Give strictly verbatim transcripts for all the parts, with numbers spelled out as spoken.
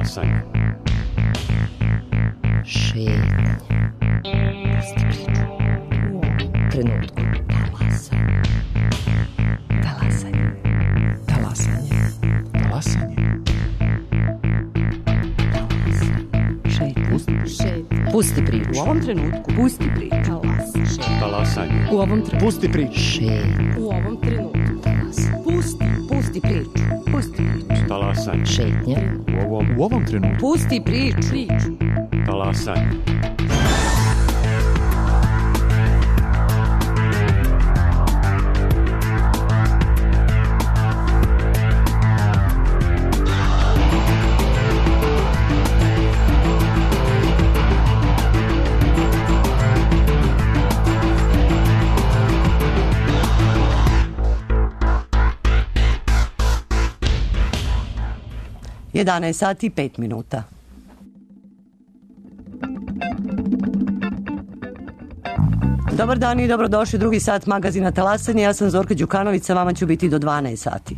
Talasanje. Šetnje. Pusti priču. U ovom trenutku. Talasanje. Talasanje. Talasanje. Talasanje. Šetnje. Pusti priču. U ovom trenutku. Pusti priču. Talasanje. U ovom trenutku. Pusti priču. Šetnje. U ovom trenutku. Pusti. Pusti priču. Pusti priču. Talasanje. Šetnje. U ovom, U ovom trenutku. Pusti priču. Priču. talasanje. jedanaest sati i pet minuta. Dobar dan i dobrodošli drugi sat magazina Talasanje. Ja sam Zorka Đukanović, sa vama ću biti do dvanaest sati.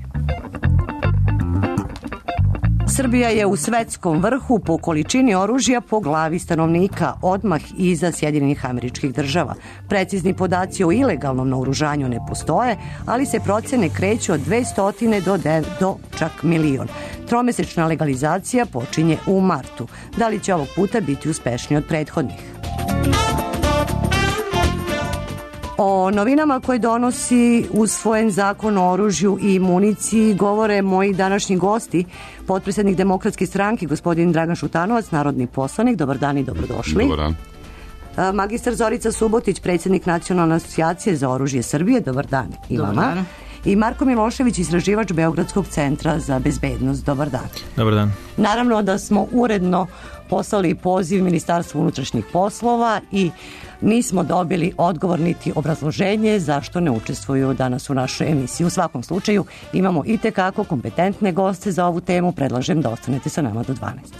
Srbija je u svetskom vrhu po količini oružja po glavi stanovnika, odmah iza Sjedinjenih Američkih Država. Precizni podaci o ilegalnom naoružanju ne postoje, ali se procene kreću od dvesta do, do čak milion. Tromesečna legalizacija počinje u martu. Da li će ovog puta biti uspešniji od prethodnih? O novinama koje donosi usvojen zakon o oružju i municiji govore moji današnji gosti, potpredsjednik Demokratske stranke, gospodin Dragan Šutanovac, narodni poslanik. Dobar dan i dobrodošli. Dobar dan. Magistar Zorica Subotić, predsjednik Nacionalne asocijacije za oružje Srbije. Dobar dan i Dobar vama. Dan. I Marko Milošević, istraživač Beogradskog centra za bezbednost. Dobar dan. Dobar dan. Naravno da smo uredno poslali poziv Ministarstvu unutrašnjih poslova i nismo dobili odgovor niti obrazloženje zašto ne učestvuju danas u našoj emisiji. U svakom slučaju imamo i tekako kompetentne goste za ovu temu. Predlažem da ostanete sa nama do dvanaest.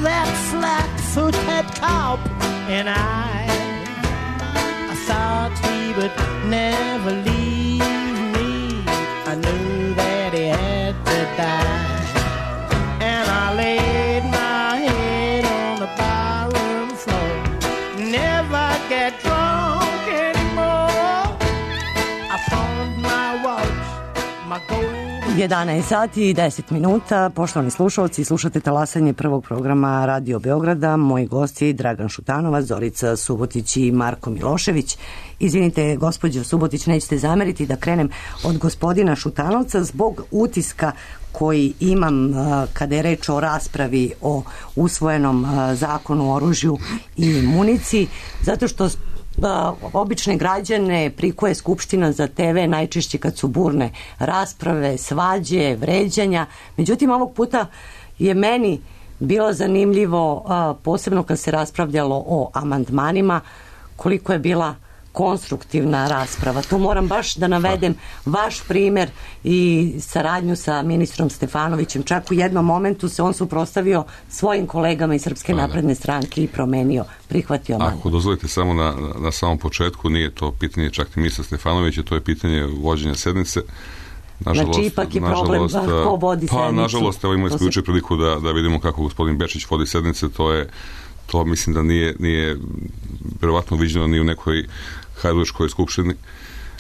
That flat-footed cop and I thought he would never leave me. I knew that he had to die. And I laid my head on the barroom floor. Never get drunk anymore. I found my watch, my gold. jedanaest sati i deset minuta. Poštovani slušalci, slušate talasanje prvog programa Radio Beograda. Moji gosti Dragan Šutanovac, Zorica Subotić i Marko Milošević. Izvinite, gospođo Subotić, nećete zameriti da krenem od gospodina Šutanovca zbog utiska koji imam kada je reč o raspravi o usvojenom zakonu o oružju i municiji, zato što Da, obične građane prikuje Skupština za te ve najčešće kad su burne rasprave, svađe, vređanja. Međutim, ovog puta je meni bilo zanimljivo, a, posebno kad se raspravljalo o amandmanima, koliko je bila konstruktivna rasprava. Tu moram baš da navedem vaš primer i saradnju sa ministrom Stefanovićem. Čak u jednom momentu se on suprotstavio svojim kolegama iz Srpske napredne stranke i promenio, prihvatio amandman. Ako dozvolite samo na, na samom početku, nije to pitanje čak ni ministra Stefanovića, to je pitanje vođenja sednice. Nažalost, znači ipak je problem ko vodi sednicu. Pa nažalost, evo imali smo juče priliku da, da vidimo kako gospodin Bečić vodi sednice, to je to mislim da nije, nije verovatno viđeno ni u nekoj Hajdučkoj skupštini.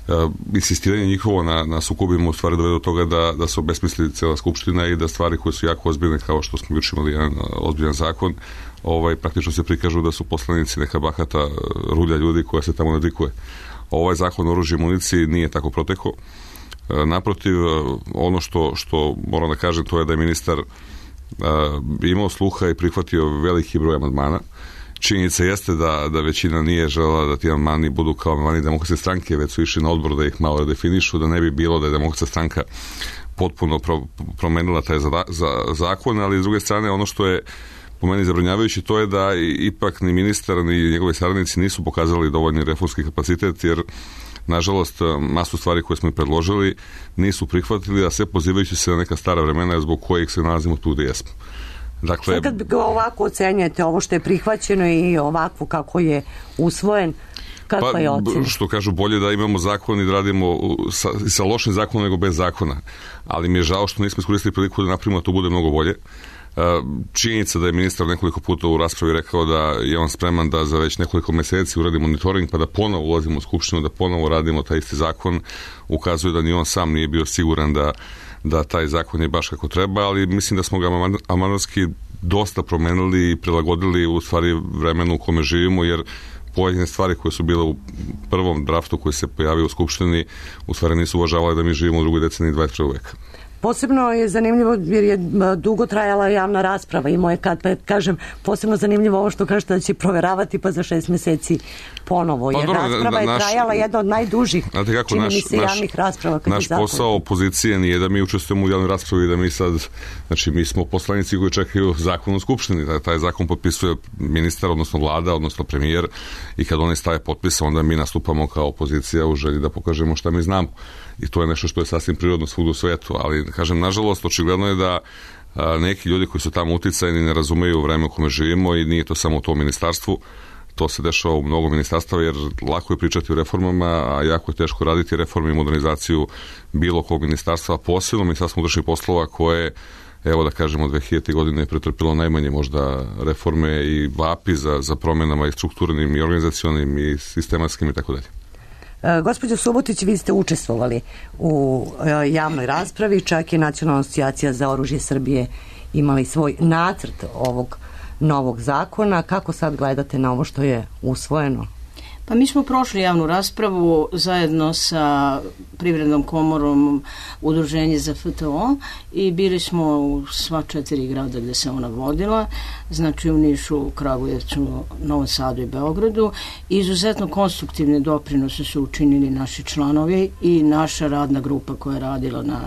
Uh, insistiranje njihovo na, na sukobima u stvari dovede do toga da, da se obesmisli cela skupština i da stvari koje su jako ozbiljne, kao što smo juče imali jedan ozbiljan zakon, ovaj, praktično se prikažu da su poslanici neka bahata rulja ljudi koja se tamo nadikuje. Ovaj zakon o oružju i municiji nije tako protekao. Uh, naprotiv, ono što, što moram da kažem, to je da je ministar uh, imao sluha i prihvatio veliki broj amandmana. Činjenica jeste da, da većina nije želela da ti amandmani budu kao amandmani Demokratske stranke, već su išli na odbor da ih malo redefinišu, da ne bi bilo da je Demokratska stranka potpuno pro, promenila taj za, za, zakon, ali s druge strane ono što je po meni zabrinjavajuće to je da ipak ni ministar ni njegovi saradnici nisu pokazali dovoljni reformski kapacitet, jer nažalost masu stvari koje smo i predložili nisu prihvatili, a sve pozivajući se na neka stara vremena zbog kojih se nalazimo tu gde jesmo. Dakle, sad kad ovako ocenjujete ovo što je prihvaćeno i ovako kako je usvojen, kakva pa, je ocena? Što kažu, bolje da imamo zakon i da radimo sa, sa lošim zakonom nego bez zakona, ali mi je žao što nismo iskoristili priliku da napravimo da to bude mnogo bolje. Činjenica da je ministar nekoliko puta u raspravi rekao da je on spreman da za već nekoliko meseci uradi monitoring pa da ponovo ulazimo u Skupštinu, da ponovo radimo taj isti zakon, ukazuje da ni on sam nije bio siguran da da taj zakon je baš kako treba, ali mislim da smo ga amandmanski dosta promenili i prilagodili u stvari vremenu u kome živimo, jer pojedine stvari koje su bile u prvom draftu koji se pojavio u Skupštini u stvari nisu uvažavali da mi živimo u drugoj deceniji dvadeset prvog veka. Posebno je zanimljivo jer je dugo trajala javna rasprava i moje kad pa kažem posebno zanimljivo ovo što kažete da će proveravati pa za šest meseci ponovo, jer pa, dobro, rasprava je naš, trajala jedna od najdužih kako, čini naš, mi se javnih naš, rasprava. Naš posao opozicije nije da mi učestvujemo u javnoj raspravi i da mi sad, znači mi smo poslanici koji čekaju zakon u Skupštini, da taj zakon potpisuje ministar, odnosno vlada, odnosno premijer i kad oni stave potpis, onda mi nastupamo kao opozicija u želji da pokažemo šta mi znamo. I to je nešto što je sasvim prirodno svugdje u svetu, ali kažem, nažalost, očigledno je da a, neki ljudi koji su tamo uticajni ne razumeju vreme u kome živimo i nije to samo u tom ministarstvu, to se dešava u mnogo ministarstava, jer lako je pričati o reformama, a jako je teško raditi reforme i modernizaciju bilo kog ministarstva, a posebno ministarstvo unutrašnjih poslova koje, evo da kažemo, od dve hiljadite godine je pretrpilo najmanje možda reforme i vapi za, za promenama i strukturnim i organizacionim i sistematskim i tako dalje. Gospođo Subotić, vi ste učestvovali u javnoj raspravi, čak je Nacionalna asocijacija za oružje Srbije imali svoj nacrt ovog novog zakona. Kako sad gledate na ovo što je usvojeno? Pa mi smo prošli javnu raspravu zajedno sa Privrednom komorom Udruženje za F T O i bili smo u sva četiri grada gde se ona vodila, znači u Nišu, Kragujevcu, Novom Sadu i Beogradu. Izuzetno konstruktivne doprinose su učinili naši članovi i naša radna grupa koja je radila na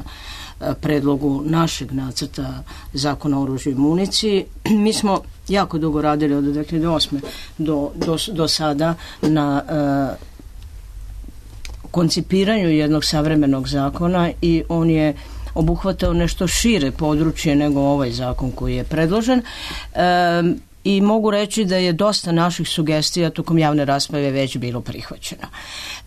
predlogu našeg nacrta zakona o oružju i municiji. Mi smo jako dugo radili od dve hiljade osme do, do, do sada na uh, koncipiranju jednog savremenog zakona i on je obuhvatao nešto šire područje nego ovaj zakon koji je predložen. Um, i mogu reći da je dosta naših sugestija tokom javne rasprave već bilo prihvaćeno.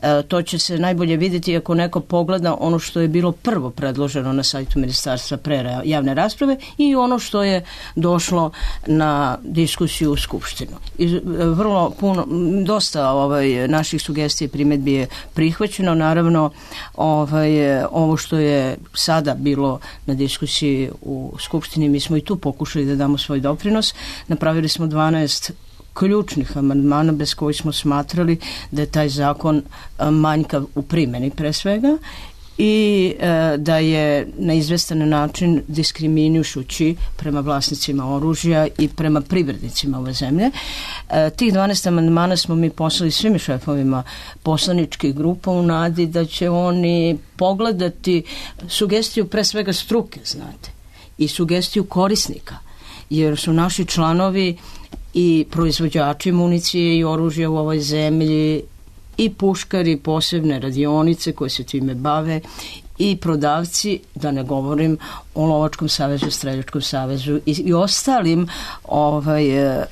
E, to će se najbolje vidjeti ako neko pogleda ono što je bilo prvo predloženo na sajtu ministarstva pre javne rasprave i ono što je došlo na diskusiju u Skupštinu. I vrlo puno, dosta ovaj, naših sugestija i primjedbi je prihvaćeno. Naravno, ovaj, ovo što je sada bilo na diskusiji u Skupštini, mi smo i tu pokušali da damo svoj doprinos. Napravili smo dvanaest ključnih amandmana bez kojih smo smatrali da je taj zakon manjkav u primjeni pre svega i e, da je na izvestan način diskriminujući prema vlasnicima oružja i prema privrednicima ove zemlje. E, tih dvanaest amandmana smo mi poslali svim šefovima poslaničkih grupa u nadi da će oni pogledati sugestiju pre svega struke, znate, i sugestiju korisnika, jer su naši članovi i proizvođači municije i oružja u ovoj zemlji i puškari, posebne radionice koje se time bave i prodavci, da ne govorim o Lovačkom savezu, Streljačkom savezu i, i ostalim ovaj, e,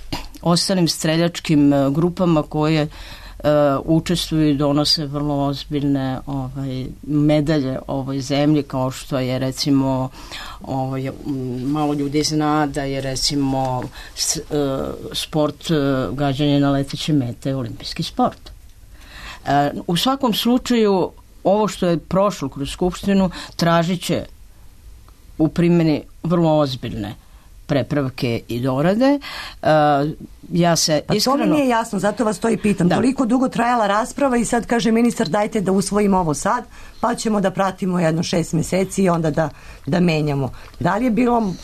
ostalim streljačkim grupama koje Uh, učestvuju i donose vrlo ozbiljne ovaj, medalje ovoj zemlji, kao što je recimo ovaj, malo ljudi zna da je recimo s, uh, sport uh, gađanje na leteće mete olimpijski sport. Uh, u svakom slučaju ovo što je prošlo kroz Skupštinu tražit će u primjeni vrlo ozbiljne prepravke i dorade. Uh, ja se pa iskreno... to mi nije jasno, zato vas to i pitam. Da. Toliko dugo trajala rasprava i sad kaže ministar dajte da usvojimo ovo sad, pa ćemo da pratimo jedno šest mjeseci i onda da, da menjamo. Da li je bilo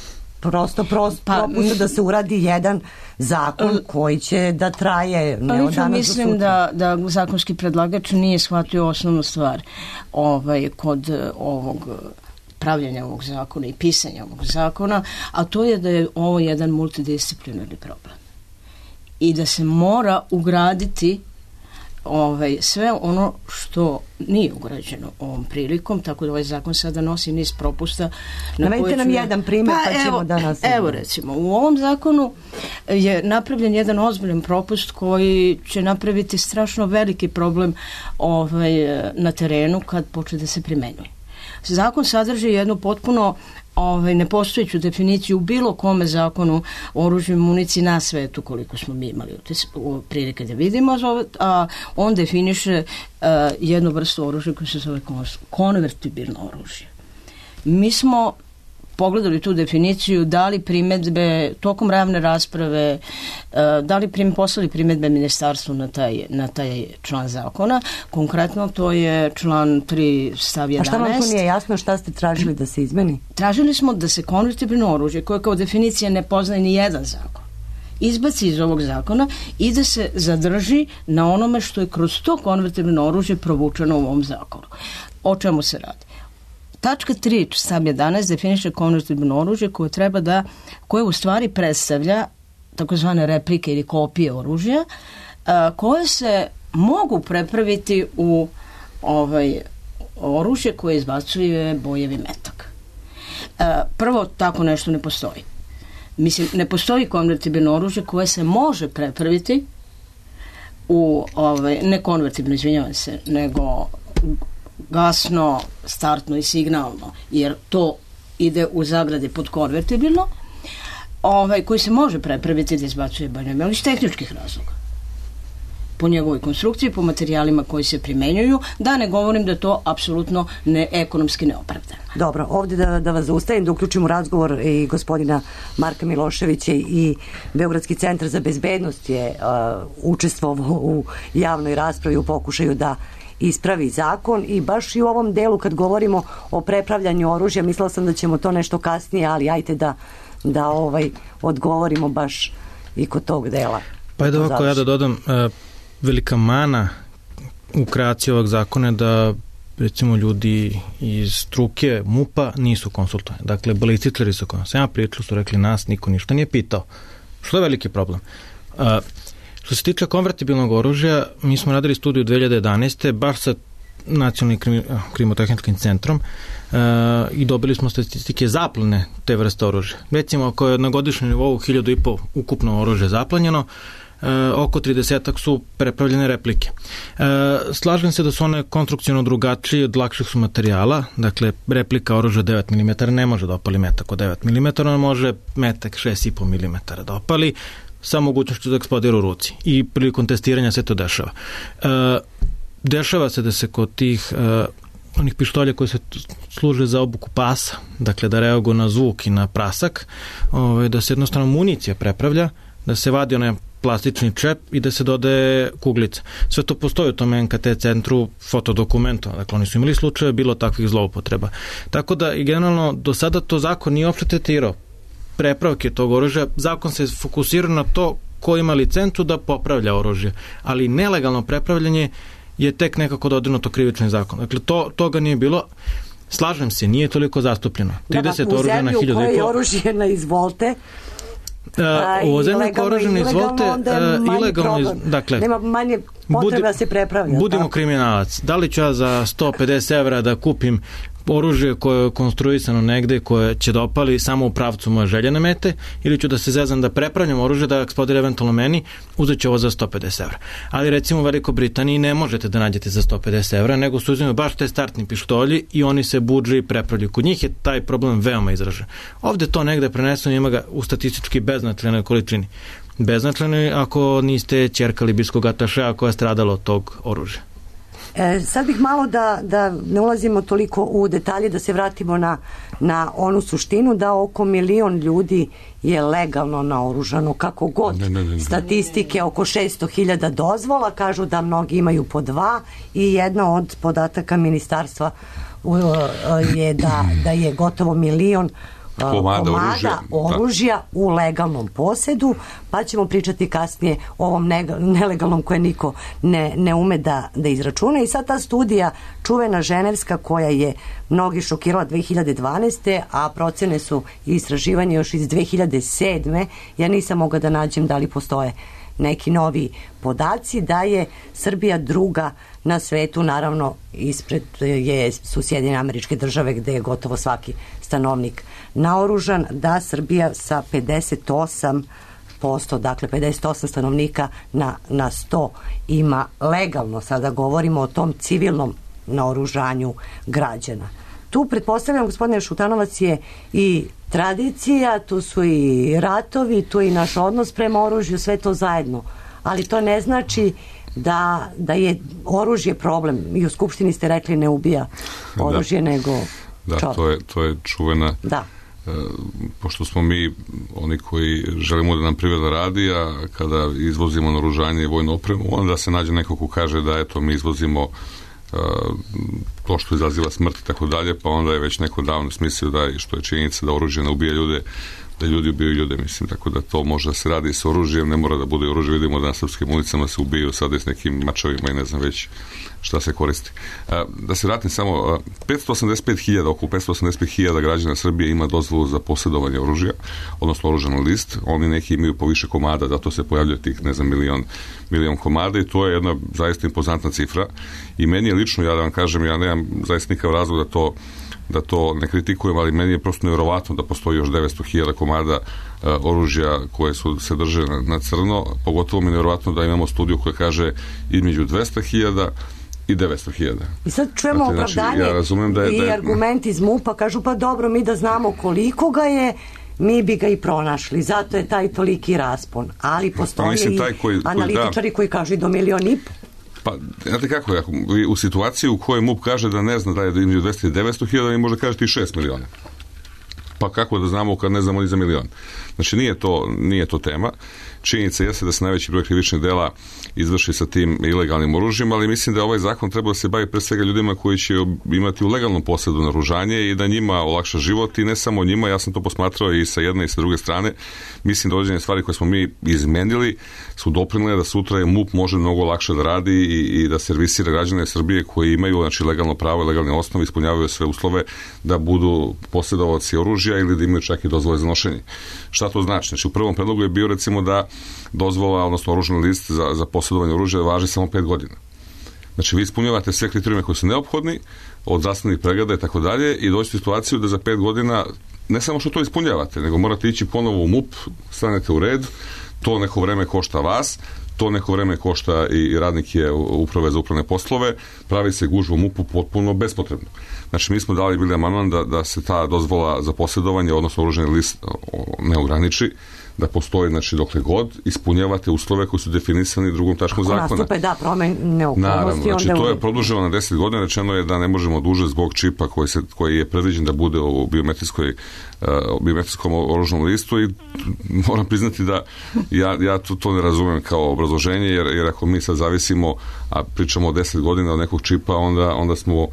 prosto prosto pa, propusta da se uradi jedan zakon koji će da traje ne od danas mislim do da, da zakonski predlagač nije shvatio osnovnu stvar ovaj, kod ovog pravljenja ovog zakona i pisanja ovog zakona, a to je da je ovo jedan multidisciplinarni problem. I da se mora ugraditi ovaj, sve ono što nije ugrađeno ovom prilikom, tako da ovaj zakon sada nosi niz propusta. Navedite nam jedan primjer pa, pa ćemo evo, da nas... Evo recimo, u ovom zakonu je napravljen jedan ozbiljan propust koji će napraviti strašno veliki problem ovaj, na terenu kad počne da se primenjuje. Zakon sadrži jednu potpuno ovaj, nepostojeću definiciju u bilo kome zakonu o oružju i municiji na svetu, koliko smo mi imali prilike da vidimo, a on definiše uh, jednu vrstu oružja koja se zove konvertibilno oružje. Mi smo pogledali tu definiciju, dali primjedbe tokom javne rasprave, dali prim, poslali primjedbe ministarstvu na taj, na taj član zakona. Konkretno to je član tri stav jedanaest. A šta vam to nije jasno, šta ste tražili da se izmeni? Tražili smo da se konvertibilno oružje, koje kao definicija ne poznaje ni jedan zakon, izbaci iz ovog zakona i da se zadrži na onome što je kroz to konvertibilno oružje provučeno u ovom zakonu. O čemu se radi? Tačka tri stav jedanaest definiše konvertibilno oružje koje treba da, koje u stvari predstavlja takozvane replike ili kopije oružja a, koje se mogu prepraviti u ovaj, oružje koje izbacuje bojevi metak. A, prvo, tako nešto ne postoji. Mislim, ne postoji konvertibilno oružje koje se može prepraviti u, ovaj, ne konvertibilno, izvinjavam se, nego gasno, startno i signalno, jer to ide u zagradi pod konvertibilno, ovaj, koji se može prepraviti da izbacuje bojevi, ali iz tehničkih razloga. Po njegovoj konstrukciji, po materijalima koji se primenjuju, da ne govorim da to apsolutno ne, ekonomski neopravdano. Dobro, ovdje da, da vas zaustavim, da uključimo razgovor i gospodina Marka Miloševića i Beogradski centar za bezbednost je uh, učestvovao u javnoj raspravi u pokušaju da ispravi zakon i baš i u ovom delu kad govorimo o prepravljanju oružja, mislila sam da ćemo to nešto kasnije, ali ajte da, da ovaj, odgovorimo baš i kod tog dela. Pa je ovako ja da dodam, uh, velika mana u kreaciji ovog zakona je da recimo ljudi iz struke MUP-a nisu konsultovani. Dakle, balističari su konsultovani. Ja pričali su rekli nas, niko ništa nije pitao. Što je veliki problem? Uh, Što se tiče konvertibilnog oružja, mi smo radili studiju dve hiljade jedanaeste baš sa nacionalnim krimi, krimotehničkim centrom uh, i dobili smo statistike zaplene te vrste oružja. Recimo, ako je na godišnjem nivou hiljadu i pol ukupno oružje zaplanjeno, Uh, oko tridesetak su prepravljene replike. Uh, slažem se da su one konstrukcijno drugačije, od lakših su materijala, dakle replika oružja devet milimetara ne može da opali metak od devet milimetara, ona može metak šest i po milimetara da opali sa mogućnošću da eksplodira u ruci i prilikom testiranja se to dešava. Uh, dešava se da se kod tih uh, onih pištolja koji se služe za obuku pasa, dakle da reaguju na zvuk i na prasak, ovaj, da se jednostavno municija prepravlja, da se vadi onaj plastični čep i da se dodaje kuglica. Sve to postoji u tom en ka te centru fotodokumentu. Dakle, oni su imali slučaje bilo takvih zloupotreba. Tako da i generalno do sada to zakon nije uopšte tretirao prepravke tog oružja. Zakon se fokusira na to ko ima licencu da popravlja oružje. Ali nelegalno prepravljanje je tek nekako dodirnuto krivični zakon. Dakle, to, toga nije bilo. Slažem se, nije toliko zastupljeno. trideset da, oružja na hiljadu i pol. U zemlji u kojoj oružje na izvolte, Uh, u zemlji koražene izvolte uh, ilegalno, iz, dakle nema manje potreba da se prepravlja. Budimo tako? Kriminalac. Da li ću ja za sto pedeset evra da kupim oružje koje je konstruisano negde, koje će da opali samo u pravcu moje željene mete, ili ću da se zezam da prepravljam oružje da eksplodira eventualno meni, uzet ću ovo za sto pedeset evra. Ali recimo u Velikoj Britaniji ne možete da nađete za sto pedeset evra, nego su uzimaju baš te startni pištolji i oni se budže i prepravljaju. Kod njih je taj problem veoma izražen. Ovde to negde preneseno, ima ga u statistički beznačajnoj količini. Beznačajno ako niste ćerka libijskog atašeja koja je stradala od tog oružja. E, sad bih malo da, da ne ulazimo toliko u detalje, da se vratimo na, na onu suštinu da oko milion ljudi je legalno naoružano, kako god. Ne, ne, ne, ne. Statistike oko šesto hiljada dozvola, kažu da mnogi imaju po dva i jedna od podataka ministarstva je da, da je gotovo milion komada, komada oružja, oružja u legalnom posedu, pa ćemo pričati kasnije o ovom nelegalnom koje niko ne, ne ume da, da izračuna. I sad ta studija čuvena ženevska koja je mnogi šokirala dve hiljade dvanaeste. a procene su i istraživanje još iz dve hiljade sedme. Ja nisam mogla da nađem da li postoje neki novi podaci, da je Srbija druga na svetu, naravno ispred je, su Sjedinjene Američke Države gde je gotovo svaki stanovnik naoružan, da Srbija sa pedeset osam posto, dakle pedeset osam stanovnika na, na sto ima legalno, sada govorimo o tom civilnom naoružanju građana. Tu pretpostavljam, gospodine Šutanovac, je i tradicija, tu su i ratovi, tu je i naš odnos prema oružju, sve to zajedno. Ali to ne znači da, da je oružje problem. I u Skupštini ste rekli ne ubija oružje, da. nego da, čovjek. To je, to je čuvena... Da. E, pošto smo mi oni koji želimo da nam privreda radi, a kada izvozimo naoružanje i vojnu opremu, onda se nađe neko ko kaže da eto mi izvozimo to što izaziva smrt i tako dalje, pa onda je već neko davno smislio da, što je činjenica da oružje ne ubija ljude, da ljudi ubijaju ljude, mislim, tako da to može da se radi s oružjem, ne mora da bude oružje, vidimo da na srpskim ulicama se ubijaju sada s nekim mačevima i ne znam već šta se koristi. Da se vratim samo, petsto osamdeset pet hiljada, oko petsto osamdeset pet hiljada građana Srbije ima dozvolu za posjedovanje oružja, odnosno oružani list, oni neki imaju po više komada, zato se pojavljaju tih, ne znam, milion, milion komada i to je jedna zaista impozantna cifra i meni je lično, ja da vam kažem, ja nemam zaista nikav razlog da to da to ne kritikujem, ali meni je prosto nevjerovatno da postoji još devetsto hiljada komada uh, oružja koje su se drže na, na crno, pogotovo mi je nevjerovatno da imamo studiju koja kaže između dvesta hiljada i devetsto hiljada. I sad čujemo znači, opravdanje ja razumem da je, i da je, argument iz MUP-a, kažu pa dobro, mi da znamo koliko ga je, mi bi ga i pronašli, zato je taj toliki raspon, ali postoje mislim, i koji, analitičari koji, da, koji kažu i do milion i po. Pa, znate kako, ako, u situaciji u kojoj MUP kaže da ne zna da je između dvesta i devetsto hiljada, mi može kažete i šest miliona. Pa kako da znamo kad ne znamo ni za milion? Znači, nije to, nije to tema. Činjenica jeste da se najveći broj krivičnih dela izvrši sa tim ilegalnim oružjem, ali mislim da ovaj zakon treba da se bavi pre svega ljudima koji će imati u legalnom posjedu naoružanje i da njima olakša život i ne samo njima, ja sam to posmatrao i sa jedne i sa druge strane. Mislim da određene stvari koje smo mi izmenili su doprinile da sutra je MUP može mnogo lakše da radi i, i da servisira građane Srbije koji imaju znači, legalno pravo i legalne osnove, ispunjavaju sve uslove da budu posjedovaoci oružja ili da imaju čak i dozvole za nošenje. Šta to znači? Znači, u prvom predlogu je bio recimo da dozvola, odnosno oružani list za, za posjedovanje oružja važi samo pet godina. Znači vi ispunjavate sve kriterijume koji su neophodni, od zdravstvenih pregleda i tako dalje, i doći u situaciju da za pet godina ne samo što to ispunjavate, nego morate ići ponovo u M U P, stanete u red, to neko vreme košta vas, to neko vreme košta i radnike uprave za upravne poslove, pravi se gužva u M U P-u potpuno bespotrebno. Znači mi smo dali bili amandman da, da se ta dozvola za posjedovanje, odnosno oružani list, ne ograniči, da postoji, znači, dokle god ispunjavate uslove koji su definisani drugom tačkom zakona. Ako nastupe, da, promene okolnosti. Naravno, znači onda to je produženo na deset godina, rečeno je da ne možemo duže zbog čipa koji, se, koji je predviđen da bude u biometrijskoj, uh, biometrijskom oružnom listu, i moram priznati da ja, ja to, to ne razumem kao obrazloženje, jer, jer ako mi sad zavisimo, a pričamo o deset godina od nekog čipa, onda, onda smo u,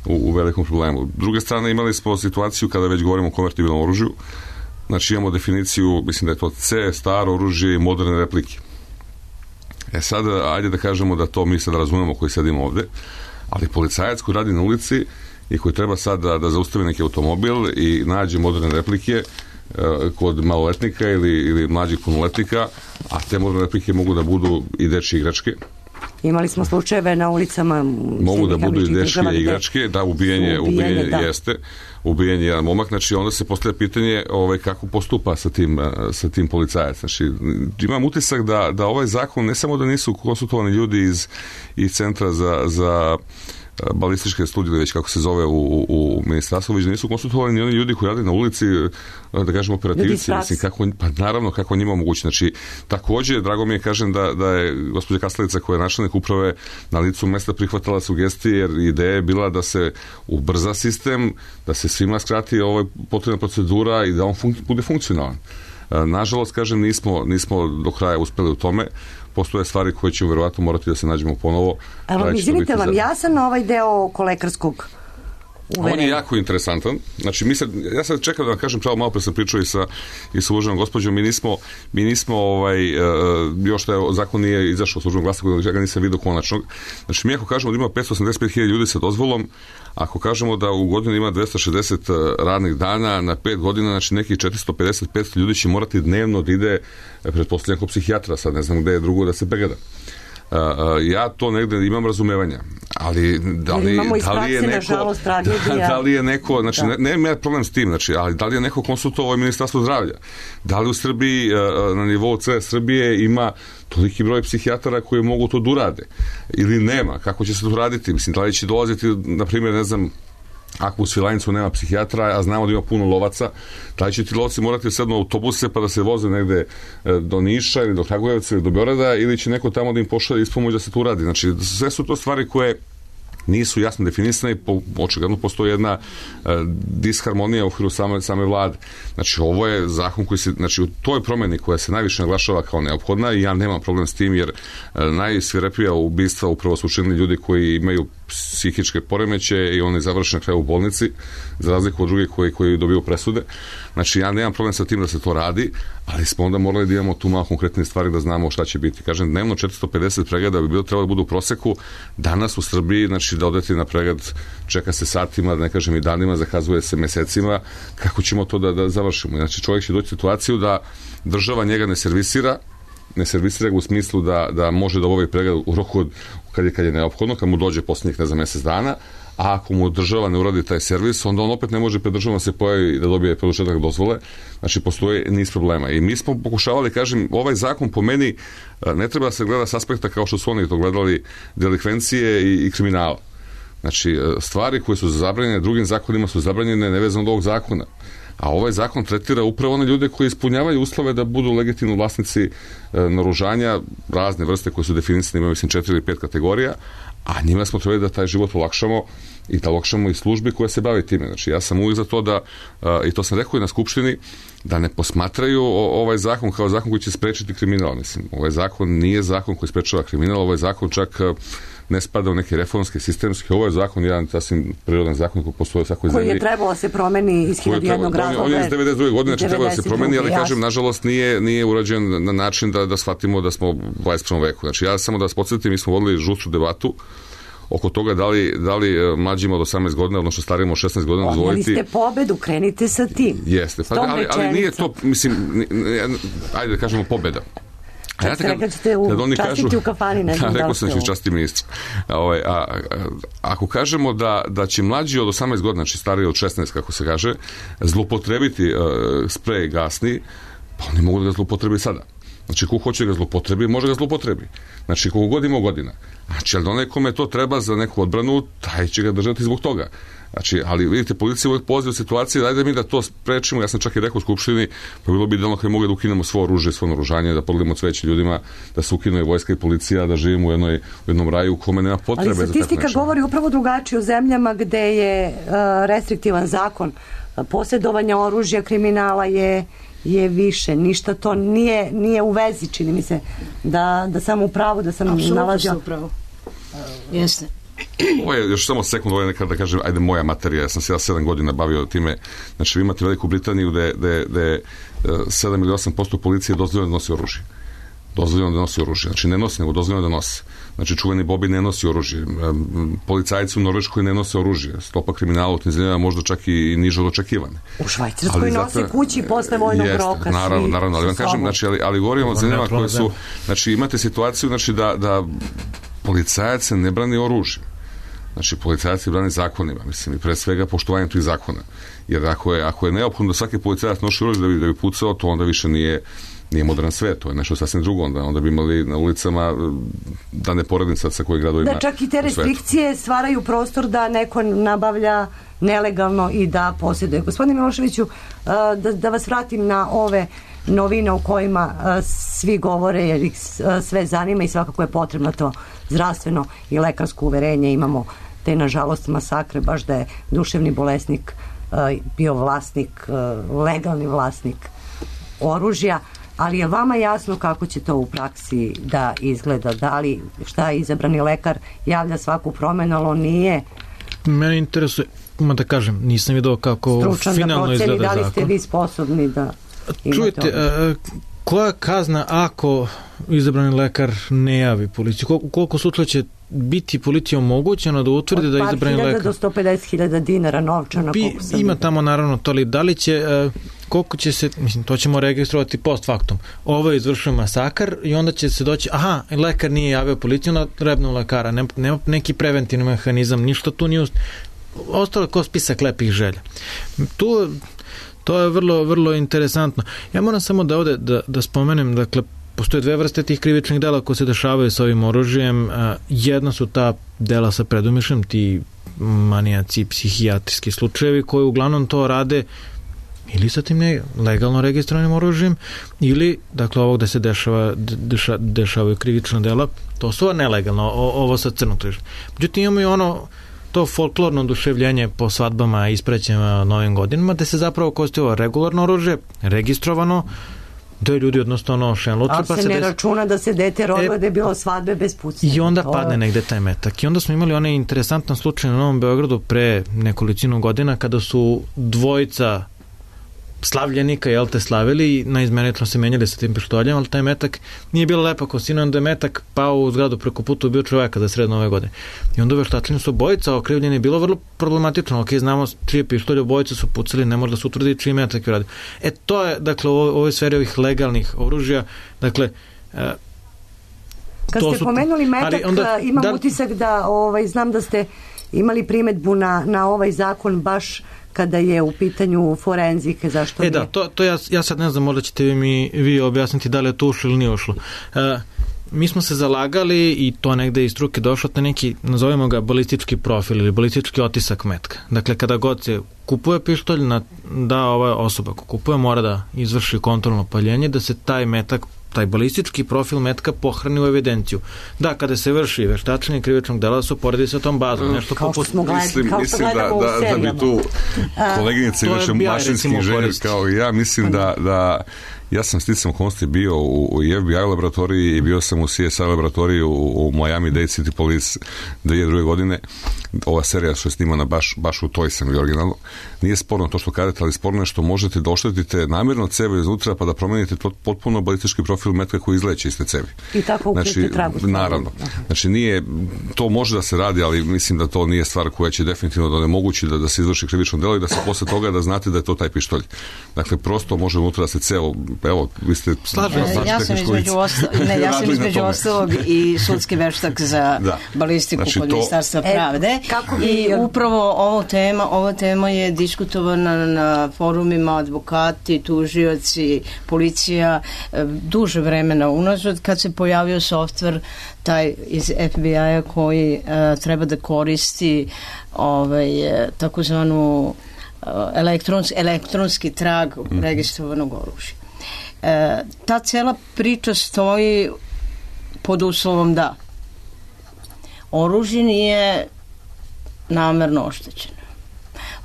u velikom problemu. S druge strane, imali smo situaciju kada već govorimo o konvertibilnom oružju. Znači imamo definiciju, mislim da je to C, staro oružje i moderne replike. E sad, ajde da kažemo da to mi sad razumemo koji sedimo ovde, ali policajac koji radi na ulici i koji treba sad da, da zaustavi neki automobil i nađe moderne replike e, kod maloletnika ili, ili mlađih punoletnika, a te moderne replike mogu da budu i dečje igračke. Imali smo slučajeve na ulicama. Mogu da budu i dečje igračke, da, ubijenje, ubijenje da. jeste, ubijenje jedan momak, znači onda se postavlja pitanje ovaj, kako postupa sa tim, sa tim policajac. Znači, imam utisak da, da ovaj zakon, ne samo da nisu konsultovani ljudi iz, iz Centra za, za balističke studije, već kako se zove u, u, u ministarstvu, već nisu konsultovani ni oni ljudi koji rade na ulici, da kažemo operativci, mislim, kako, pa naravno kako njima omogući. Znači, također, drago mi je, kažem, da, da je gospođa Kastelica, koja je načelnik uprave, na licu mesta prihvatala sugestije, jer ideja je bila da se ubrza sistem, da se svima skrati ovaj potrebna procedura i da on fun, bude funkcionalan. Nažalost, kažem, nismo, nismo do kraja uspeli u tome. Postoje stvari koje ćemo verovatno morati da se nađemo ponovo. Evo, izvinite, vam jasan ovaj deo oko lekarskog uverenja? On je jako interesantan. Znači, mi sad, ja sad čekam da vam kažem, pravo malo pre sam pričao i sa, i sa uvaženom gospođom, mi nismo, mi nismo ovaj, uh, još da je, zakon nije izašao u službenom glasniku, ja ga nisam vidio konačnog. Znači, mi ako kažemo da ima petsto osamdeset pet hiljada ljudi sa dozvolom, ako kažemo da u godinu ima dvesta šezdeset radnih dana, na pet godina, znači nekih četiristo pedeset do petsto ljudi će morati dnevno da ide, pretpostavljam, kod psihijatra, sad ne znam gde je drugo da se pregleda. Uh, ja to negde imam razumevanja, ali da li, da li je neko da, da li je neko, znači da. ne, ne problem s tim, znači, ali da li je neko konsultovao Ministarstvo zdravlja, da li u Srbiji uh, na nivou C Srbije ima toliki broj psihijatara koji mogu to da urade ili nema, kako će se to raditi, mislim, da li će dolaziti, na primjer, ne znam, ako u Svilajncu nema psihijatra, a znamo da ima puno lovaca, da li će ti lovci morati sedno autobuse pa da se voze negde do Niša ili do Kragujevca ili do Beograda, ili će neko tamo da im pošalje ispomoć da se to uradi. Znači, sve su to stvari koje nisu jasno definisane i po, očigledno postoji jedna e, disharmonija u okviru same, same vlade. Znači, ovo je zakon koji se, znači, u toj promeni koja se najviše naglašava kao neophodna, i ja nemam problem s tim, jer e, najsvirepija ubistva upravo su učinili ljudi koji imaju psihičke poremeće i oni završe na kraju u bolnici, za razliku od drugih koji, koji dobiju presude. Znači, ja nemam problem sa tim da se to radi, ali smo onda morali da imamo tu malo konkretne stvari da znamo šta će biti. Kažem, dnevno četiristo pedeset pregleda bi bilo trebalo da budu u proseku. Danas u Srbiji, znači, da odete na pregled, čeka se satima, da ne kažem i danima, zakazuje se mesecima. Kako ćemo to da, da završimo? Znači, čovjek će doći u situaciju da država njega ne servisira, ne servisira ga u smislu da, da može da ovaj pregled u roku od, kad je, kad je neophodno, kad mu dođe posljednjih, ne za mjesec dana, a ako mu država ne uradi taj servis, onda on opet ne može pred državom da se pojavi da dobije produžetak dozvole. Znači, postoje niz problema. I mi smo pokušavali, kažem, ovaj zakon po meni ne treba da se gleda s aspekta kao što su oni to gledali, delikvencije i, i kriminala. Znači, stvari koje su zabranjene drugim zakonima su zabranjene nevezano od ovog zakona. A ovaj zakon tretira upravo one ljude koji ispunjavaju uslove da budu legitimni vlasnici e, naoružanja, razne vrste koje su definisane, imaju mislim četiri ili pet kategorija, a njima smo trebali da taj život olakšamo i da olakšamo i službi koja se bavi time. Znači, ja sam uvijek za to da, e, i to sam rekao i na Skupštini, da ne posmatraju o, ovaj zakon kao zakon koji će sprečiti kriminal. Mislim, ovaj zakon nije zakon koji sprečava kriminal, ovaj zakon čak ne spada u neke reformske, sistemske. Ovo je zakon, jedan sasvim prirodan zakon koji postoji u svakoj zemlji. Koji je trebalo da se promeni iz hiljadu jednog razloga. On je iz devedeset druge godine, znači trebalo da se promeni, ali kažem, nažalost, nije, nije urađen na način da, da shvatimo da smo u dvadeset prvom veku. Znači, ja samo da vas podsjetim, mi smo vodili žustru debatu oko toga da li, da li mlađima od osamnaest godina, odnosno starijima od šesnaest godina dozvoliti... Odmali ste pobedu, krenite sa tim. Jeste, pa, ali, ali nije to, mislim, ajde da kažemo pobeda. Čak ja ste rekli da ćete u, častiti u kafani, ne znam da, da rekao sam da ću častiti ministra. A, ovaj, a, a, ako kažemo da, da će mlađi od osamnaest godina, znači stariji od šesnaest, kako se kaže, zlupotrebiti uh, sprej gasni, pa oni mogu da ga zlupotrebi sada. Znači, ko hoće ga zlupotrebi, može ga zlupotrebi. Znači, koliko god ima godina. Znači, ali onaj kome to treba za neku odbranu, taj će ga držati zbog toga. Znači, ali vidite, policija uvijek poziva u situaciji, dajde mi da to sprečimo, ja sam čak i rekao u Skupštini, pa bilo bi idealno kada mogli da ukinemo svo oružje, svo naoružanje, da podijelimo cveće ljudima, da se ukinu i vojska i policija, da živimo u, jednoj, u jednom raju u kome nema potrebe za tako nešto. Ali statistika govori upravo drugačije u zemljama gde je uh, restriktivan zakon posjedovanja oružja, kriminala je je više, ništa to nije, nije u vezi, čini mi se, da, da sam u pravu, da sam Apsolutno nalazio. Apsolutno ste u pravu. Jeste. Ovo je još samo sekund, ovo je nekada da kažem, ajde moja materija, ja sam se ja sedam godina bavio time, znači vi imate Veliku Britaniju gde je sedam ili osam posto policije dozvoljeno da nosi oružje. Dozvoljeno da nosi oružje. Znači ne nosi, nego dozvoljeno da nosi. Znači čuveni Bobby ne nosi oružje. Policajci u Norveškoj ne nose oružje. Stopa kriminala u tim zemljama možda čak i niže od očekivane. U Švajcarskoj nose kući posle vojnog jeste, roka. Naravno, svi, naravno, ali vam kažem, znači, ali, ali govorimo o zemljama koje su, znači imate situaciju, znači da, da policajac ne brani oružje. Znači, policajac brani zakonima, mislim, i pre svega poštovanjem tih zakona. Jer ako je, ako je neophodno da svaki policajac nosi oružje da bi, da bi pucao, to onda više nije nije modern svet, to je nešto sasvim drugo, onda, onda bi imali na ulicama, da ne poredim sad sa koji gradovima. Da, čak i te restrikcije stvaraju prostor da neko nabavlja nelegalno i da posjeduje. Gospodine Miloševiću, da, da vas vratim na ove novine o kojima svi govore, jer ih sve zanima i svakako je potrebno to zdravstveno i lekarsko uverenje. Imamo te, nažalost, masakre, baš da je duševni bolesnik bio vlasnik, legalni vlasnik oružja. Ali je vama jasno kako će to u praksi da izgleda? Da li šta je izabrani lekar javlja svaku promenu, ali on nije mene interesuje, ima da kažem, nisam vidio kako stručan finalno da proceni, izgleda zakon. Da li ste vi sposobni da čujete, uh, koja je kazna ako izabrani lekar ne javi policiju? Koliko, koliko sutra će biti policija omogućeno da utvrdi da je izabrani lekar? Od par hiljada do sto pedeset hiljada dinara novčana. Bi, ima tamo naravno to, ali da li će, uh, koliko će se, mislim, to ćemo registrovati post factum. Ovo je izvršio masakar i onda će se doći, aha, lekar nije javio policiju, na rebnu lekara, nema, nema neki preventivni mehanizam, ništa tu nije ust... ostalo ko spisak lepih želja. Tu to je vrlo, vrlo interesantno. Ja moram samo da ovde da, da spomenem, dakle, postoje dve vrste tih krivičnih dela koje se dešavaju sa ovim oružjem. Jedna su ta dela sa predumišljem, ti manijaci, psihijatrijski slučajevi koji uglavnom to rade ili sa tim ne, legalno registrovanim oružjem ili, dakle, ovo gde se dešava, deša, dešavaju krivična dela, to su nelegalno, o, ovo sa crnog tržišta. Međutim, imamo i ono to folklorno oduševljenje po svadbama i isprećima novim godinama, da se zapravo koristi ovo regularno oružje, registrovano, da je ljudi jednostavno šenluče. Ali pa se se ne des... računa da se dete rodilo e... da je bilo svadbe bez pucanja. I onda to padne je... negde taj metak. I onda smo imali onaj interesantan slučaj na Novom Beogradu pre nekolicinu godina kada su dvojica slavljenika, jel te, slavili i naizmenično se menjali sa tim pištoljem, ali taj metak nije bilo lepa kostina, onda je metak pao u zgradu preko puta, ubio čoveka za sred nove godine. I onda veštačenje su obojica okrivljeni, bilo vrlo problematično, ok, znamo čije pištolje, obojica su pucali, ne može da se utvrdi čiji metak je radio. E, to je, dakle, u ovoj sferi ovih legalnih oružja, dakle, e, kad ste su... pomenuli metak, ali onda, imam da... utisak da, ovaj, znam da ste imali primetbu na, na ovaj zakon baš kada je u pitanju forenzike, zašto e nije? Da, to, to ja, ja sad ne znam, možda ćete vi mi vi objasniti da li je to ušlo ili nije ušlo. E, mi smo se zalagali i to negde iz struke došlo na neki, nazovemo ga balistički profil ili balistički otisak metka. Dakle, kada god se kupuje pištolj, na, da ova osoba ko kupuje mora da izvrši kontrolno paljenje, da se taj metak, taj balistički profil metka pohrani u evidenciju. Da, kada se vrši veštačenje krivičnog dela, su poredi sa tom bazom. Nešto kao poput... što smo gledali, mislim, kao mislim što da, da, da bi tu koleginice inače mašinski inženjer kao i ja, mislim da, da ja sam sticam okolnosti bio u, u F B I laboratoriji i bio sam u C S I laboratoriji u, u Miami-Dade City Police dve hiljade druge godine. Ova serija što je snimana baš, baš u toj sam i originalno. Nije sporno to što kažete, ali sporno je što možete da oštetite namjerno cevi iznutra pa da promenite to, potpuno balistički profil metka koji izleće iz te cevi. I tako ukrite znači, tragu. Naravno. Znači nije, to može da se radi, ali mislim da to nije stvar koja će definitivno da onemogući da, da se izvrši krivično delo i da se posle toga da znate da je to taj pištolj. Dakle, prosto može unutra da se ceo evo, vi ste... Slažem se. E, ja sam između, osta... ne, ja sam između ostalog i sudski veštak za da. balistiku znači, kod to... Ministarstva pravde. E, kako bi... I upravo ovo tema, ova tema je diskutovana na forumima advokati, tužioci, policija, duže vremena unazad kad se pojavio softver taj iz F B I-a koji uh, treba da koristi ovaj, takozvanu uh, elektrons, elektronski trag mm. registrovanog oružja. E, ta cela priča stoji pod uslovom da oružje nije namerno oštećeno.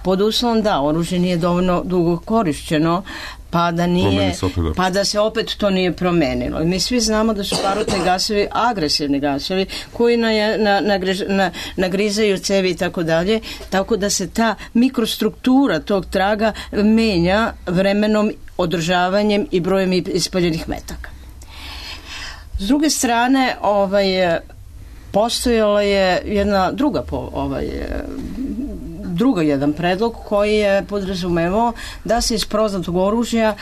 Pod uslovom da oružje nije dovoljno dugo korišćeno pa da nije, pa da se opet to nije promenilo. I mi svi znamo da su barutni gasovi agresivni gasovi koji na, na, na, na, nagrizaju cevi i tako dalje, tako da se ta mikrostruktura tog traga menja vremenom, održavanjem i brojem ispaljenih metaka. S druge strane, ovaj, postojala je jedna druga ovaj, druga jedan predlog koji je podrazumevao da se iz poznatog oružja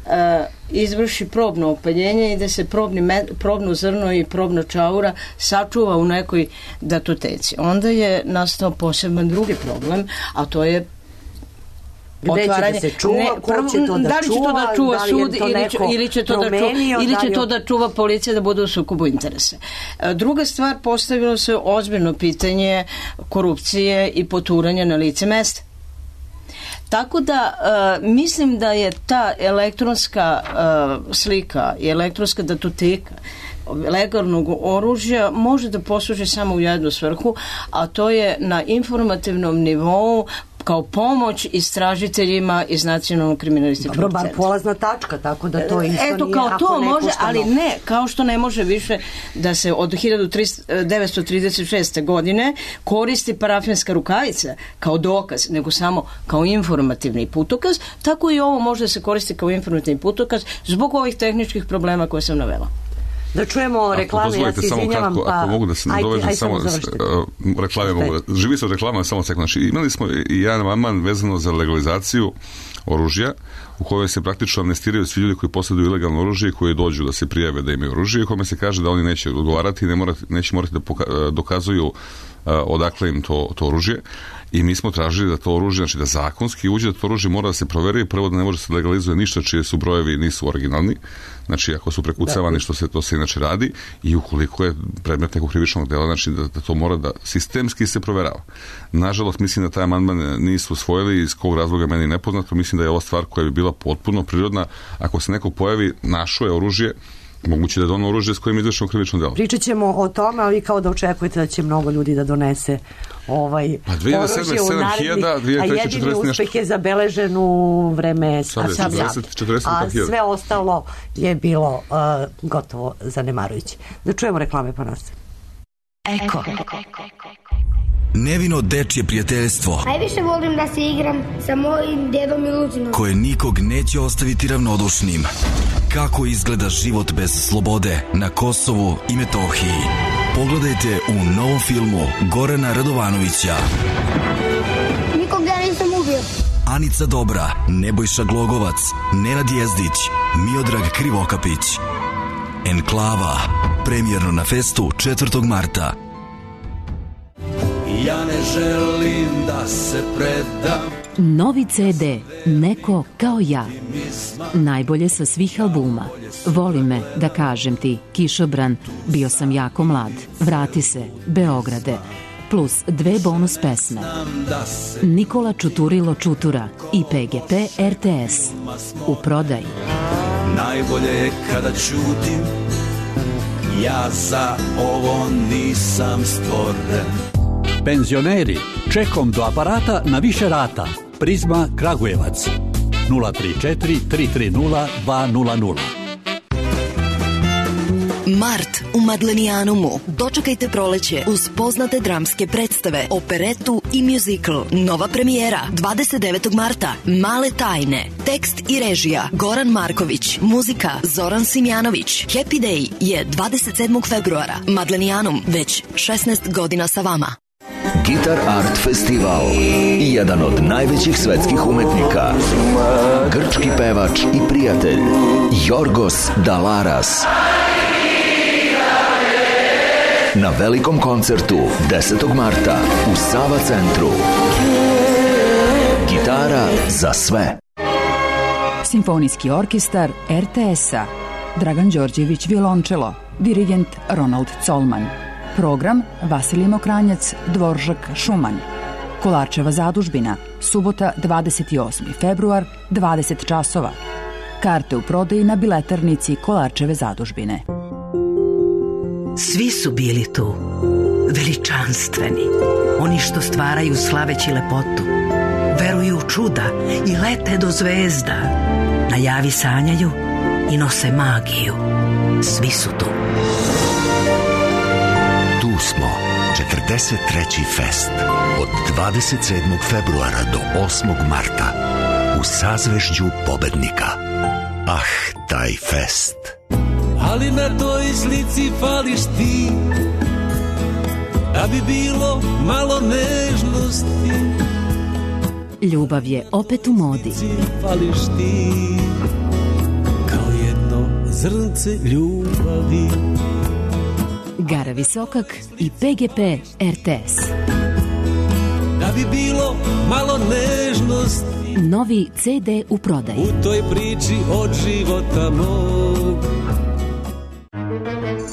e, izvrši probno opaljenje i da se probni me, probno zrno i probno čaura sačuva u nekoj datoteci. Onda je nastao poseban drugi problem, a to je gde otvaranje, će da se čuva, ne, ko će to da, da li će to da čuva da sud ili će, ili će, to, da čuva, ili će to da čuva policija da bude u sukobu interesa. Druga stvar, postavilo se ozbiljno pitanje korupcije i poturanja na lice mesta. Tako da uh, mislim da je ta elektronska uh, slika i elektronska datoteka legalnog oružja može da posluži samo u jednu svrhu, a to je na informativnom nivou kao pomoć istražiteljima iz Nacionalnog kriminalističkog centra. Dobro, bar polazna tačka, tako da to isto Eto, nije kao ako to ne može, puštamo. ali ne, kao što ne može više da se od hiljadu devetsto trideset šeste. godine koristi parafinska rukavica kao dokaz, nego samo kao informativni putokaz, tako i ovo može da se koristi kao informativni putokaz zbog ovih tehničkih problema koje sam navela. Da čujemo reklame, ja se izvinjavam, pa... Ako mogu da se nadovežem, samo uh, reklame mogu da... Živi se od reklama, samo sekund. Znači, imali smo i jedan amandman vezano za legalizaciju oružja, u kojoj se praktično amnestiraju svi ljudi koji posjeduju ilegalno oružje i koji dođu da se prijave da imaju oružje, i kome se kaže da oni neće odgovarati i ne morati, neće morati da poka- dokazuju uh, odakle im to, to oružje. I mi smo tražili da to oružje, znači da zakonski uđe, da to oružje mora da se proveri, prvo da ne može se legalizuje ništa čije su brojevi nisu originalni, znači ako su prekucavani, što se to se inače radi, i ukoliko je predmet nekog krivičnog dela, znači da, da to mora da sistemski se proverava. Nažalost, mislim da taj amandman nisu usvojili, iz kog razloga meni nepoznato. Mislim da je ova stvar koja bi bila potpuno prirodna, ako se neko pojavi, našo je oružje, moguće da je ono oružje s kojim je izvršeno krivično delo. Pričat ćemo o tome, ali kao da očekujete da će mnogo ljudi da donese ovaj oružje u narednih, a jedini uspeh je zabeležen u vreme Sablja. A sve ostalo je bilo uh, gotovo zanemarujuće. Da čujemo reklame pa nas. Eko. Nevino dečje prijateljstvo. Najviše volim da se igram sa mojim dedom i Lucinom. Koje nikog neće ostaviti ravnodušnim. Kako izgleda život bez slobode na Kosovu i Metohiji. Pogledajte u novom filmu Gorana Radovanovića. Nikog ja nisam ubio. Anica Dobra, Nebojša Glogovac, Nenad Jezdić, Miodrag Krivokapić. Enklava, premijerno na Festu četvrtog marta. Ja ne želim da se predam. Novi ce de, Neko kao ja. Najbolje sa svih albuma. Voli me, da kažem ti, Kišobran, Bio sam jako mlad, Vrati se, Beograde, plus dve bonus pesme. Nikola Čuturilo Čutura i P G P R T S. U prodaji. Najbolje je kada ćutim, ja za ovo nisam stvoren. Penzioneri, čekom do aparata na više rata. Prizma Kragujevac nula tri četiri tri tri nula dva nula nula. Mart u Madlenijanumu. Dočekajte proleće uz poznate dramske predstave, operetu i muzikl. Nova premijera dvadeset devetog marta. Male tajne. Tekst i režija Goran Marković. Muzika Zoran Simjanović. Happy Day je dvadeset sedmog februara. Madlenijanum već šesnaest godina sa vama. Guitar Art Festival i jedan od najvećih svetskih umetnika, grčki pevač i prijatelj Jorgos Dalaras. Na velikom koncertu desetog marta u Sava centru. Gitara za sve. Simfonijski orkestar er te es-a, Dragan Đorđević violončelo, dirigent Ronald Colman. Program Vasilij Mokranjac, Dvoržak Šuman. Kolarčeva zadužbina, subota dvadeset osmi februar, dvadeset časova. Karte u prodaji na biletarnici Kolarčeve zadužbine. Svi su bili tu, veličanstveni, oni što stvaraju slaveći lepotu, veruju u čuda i lete do zvezda, na javi sanjaju i nose magiju. Svi su tu. Tu smo, četrdeset treći fest, od dvadeset sedmog februara do osmog marta, u sazvežđu pobednika. Ah, taj fest. Ali na toj slici fališ ti, da bi bilo malo nežnosti. Ljubav je opet u modi. Fališ ti, kao jedno zrnce ljubavi. Gara Visokak i pe ge pe er te es. Da bi bilo malo nežnosti. Novi ce de u prodaji. U toj priči od života mog.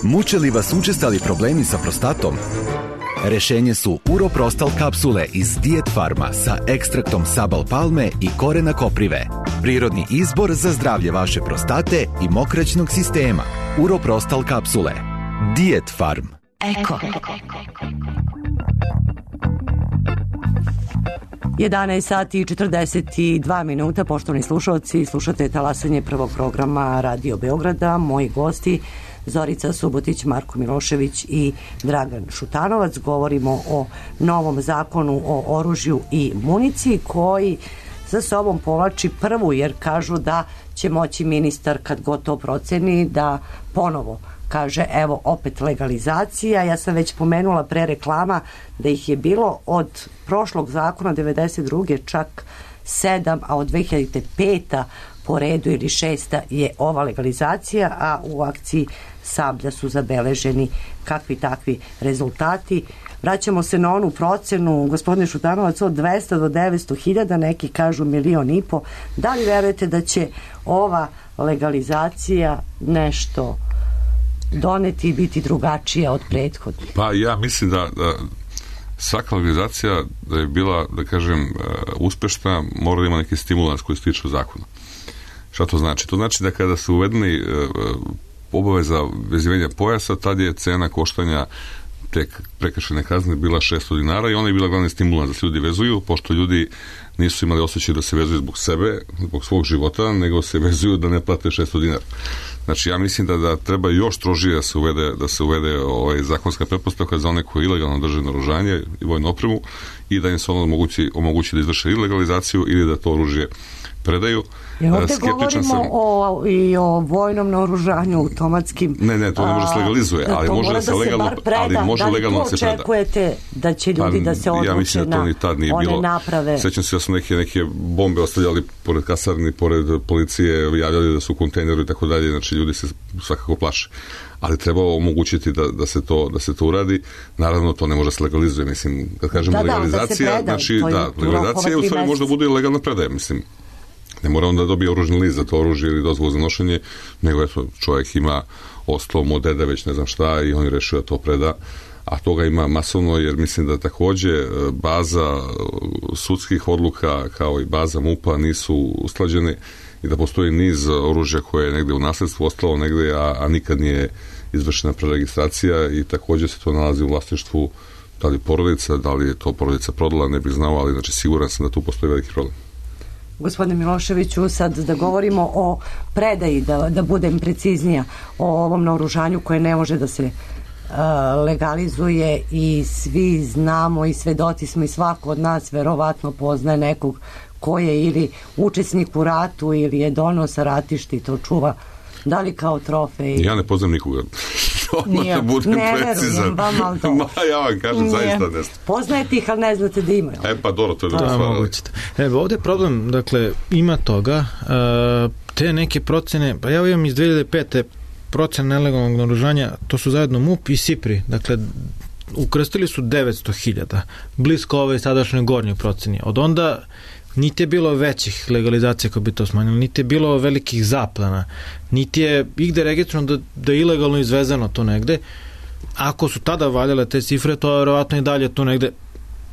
Muče li vas učestali problemi sa prostatom? Rešenje su Uroprostal kapsule iz Diet Farma sa ekstraktom sabal palme i korena koprive. Prirodni izbor za zdravlje vaše prostate i mokraćnog sistema. Uroprostal kapsule. Diet Farm. Eko. jedanaest sati i četrdeset dva minuta, poštovani slušalci, slušate talasanje prvog programa Radio Beograda. Moji gosti Zorica Subotić, Marko Milošević i Dragan Šutanovac. Govorimo o novom zakonu o oružju i municiji koji za sobom povlači prvu, jer kažu da će moći ministar, kad god to proceni, da ponovo kaže evo opet legalizacija. Ja sam već pomenula pre reklama da ih je bilo od prošlog zakona devedeset druge čak sedam, a od dve hiljade pete po redu ili šesta je ova legalizacija, a u akciji Sablja su zabeleženi kakvi takvi rezultati. Vraćamo se na onu procenu, gospodine Šutanovac, od dvesta do devetsto hiljada, neki kažu milion i po. Da li verujete da će ova legalizacija nešto doneti i biti drugačija od prethodnih? Pa ja mislim da, da svaka legalizacija da je bila, da kažem, uspešna, mora da ima neki stimulans koji se tiče zakona. Šta to znači? To znači da kada su uvedeni obaveza vezivanja pojasa, tad je cena koštanja te prekršajne kazne bila šesto dinara i ona je bila glavni stimulans da se ljudi vezuju, pošto ljudi nisu imali osjećaj da se vezuju zbog sebe, zbog svog života, nego se vezuju da ne plate šesto dinara. Znači, ja mislim da, da treba još strožije da se uvede, da se uvede ovaj, zakonska pretpostavka za one koji ilegalno drže naoružanje i vojnu opremu i da im se ono omogući, omogući da izvrše ili legalizaciju ili da to oružje predaju. Jer ovdje govorimo sam... o, i o vojnom naoružanju, automatskim... Ne, ne, to ne može se legalizuje, ali može da se legalno, preda, ali može da legalno da se preda. Da li tu očekujete da će ljudi pa, da se odluče ja mislim da to ni tad nije na one bilo. naprave? Sećam se da su neke, neke bombe ostavljali pored kasarni, pored policije, javljali da su u kontejneru i tako dalje, znači ljudi se svakako plaše. Ali treba omogućiti da, da, se to, da se to uradi. Naravno, to ne može se legalizuje, mislim, kad kažemo da, legalizacija, da, da znači, da, legalizacija u stvari možda bude i legalna predaja, mislim. Ne mora onda da dobije oružni list za to oružje ili dozvolu za nošenje, nego eto, čovjek ima oslom od dede već ne znam šta i on je rešio da to preda, a toga ima masovno, jer mislim da takođe baza sudskih odluka kao i baza MUP-a nisu usklađene i da postoji niz oružja koje je negde u nasledstvu ostalo negde, a, a nikad nije izvršena preregistracija i takođe se to nalazi u vlasništvu da li porodica, da li je to porodica prodala, ne bih znao, ali znači siguran sam da tu postoji veliki problem. Gospodine Miloševiću, sad da govorimo o predaji, da, da budem preciznija, o ovom naoružanju koje ne može da se uh, legalizuje i svi znamo i svedoci smo i svako od nas verovatno poznaje nekog ko je ili učesnik u ratu ili je doneo sa ratišta i to čuva, da li kao trofej? Ja ne poznam nikoga. odmah da budem ne precizan. verujem vam, ali to. Ma, ja vam kažem, Nije. zaista ne znam. Poznajete ih, ali ne znate da imaju. E pa dobro, to je dobro stvar. Evo, ovde je problem, dakle, ima toga, uh, te neke procene, pa ja imam iz dve hiljade pete procene nelegalnog naoružanja, to su zajedno MUP i SIPRI, dakle, ukrstili su devetsto hiljada, blisko ove sadašnje gornje proceni. Od onda niti je bilo većih legalizacija koje bi to smanjilo, niti je bilo velikih zaplana, niti je igde registrovano da, da je ilegalno izvezeno to negde. Ako su tada valjale te cifre, to je verovatno i dalje to negde.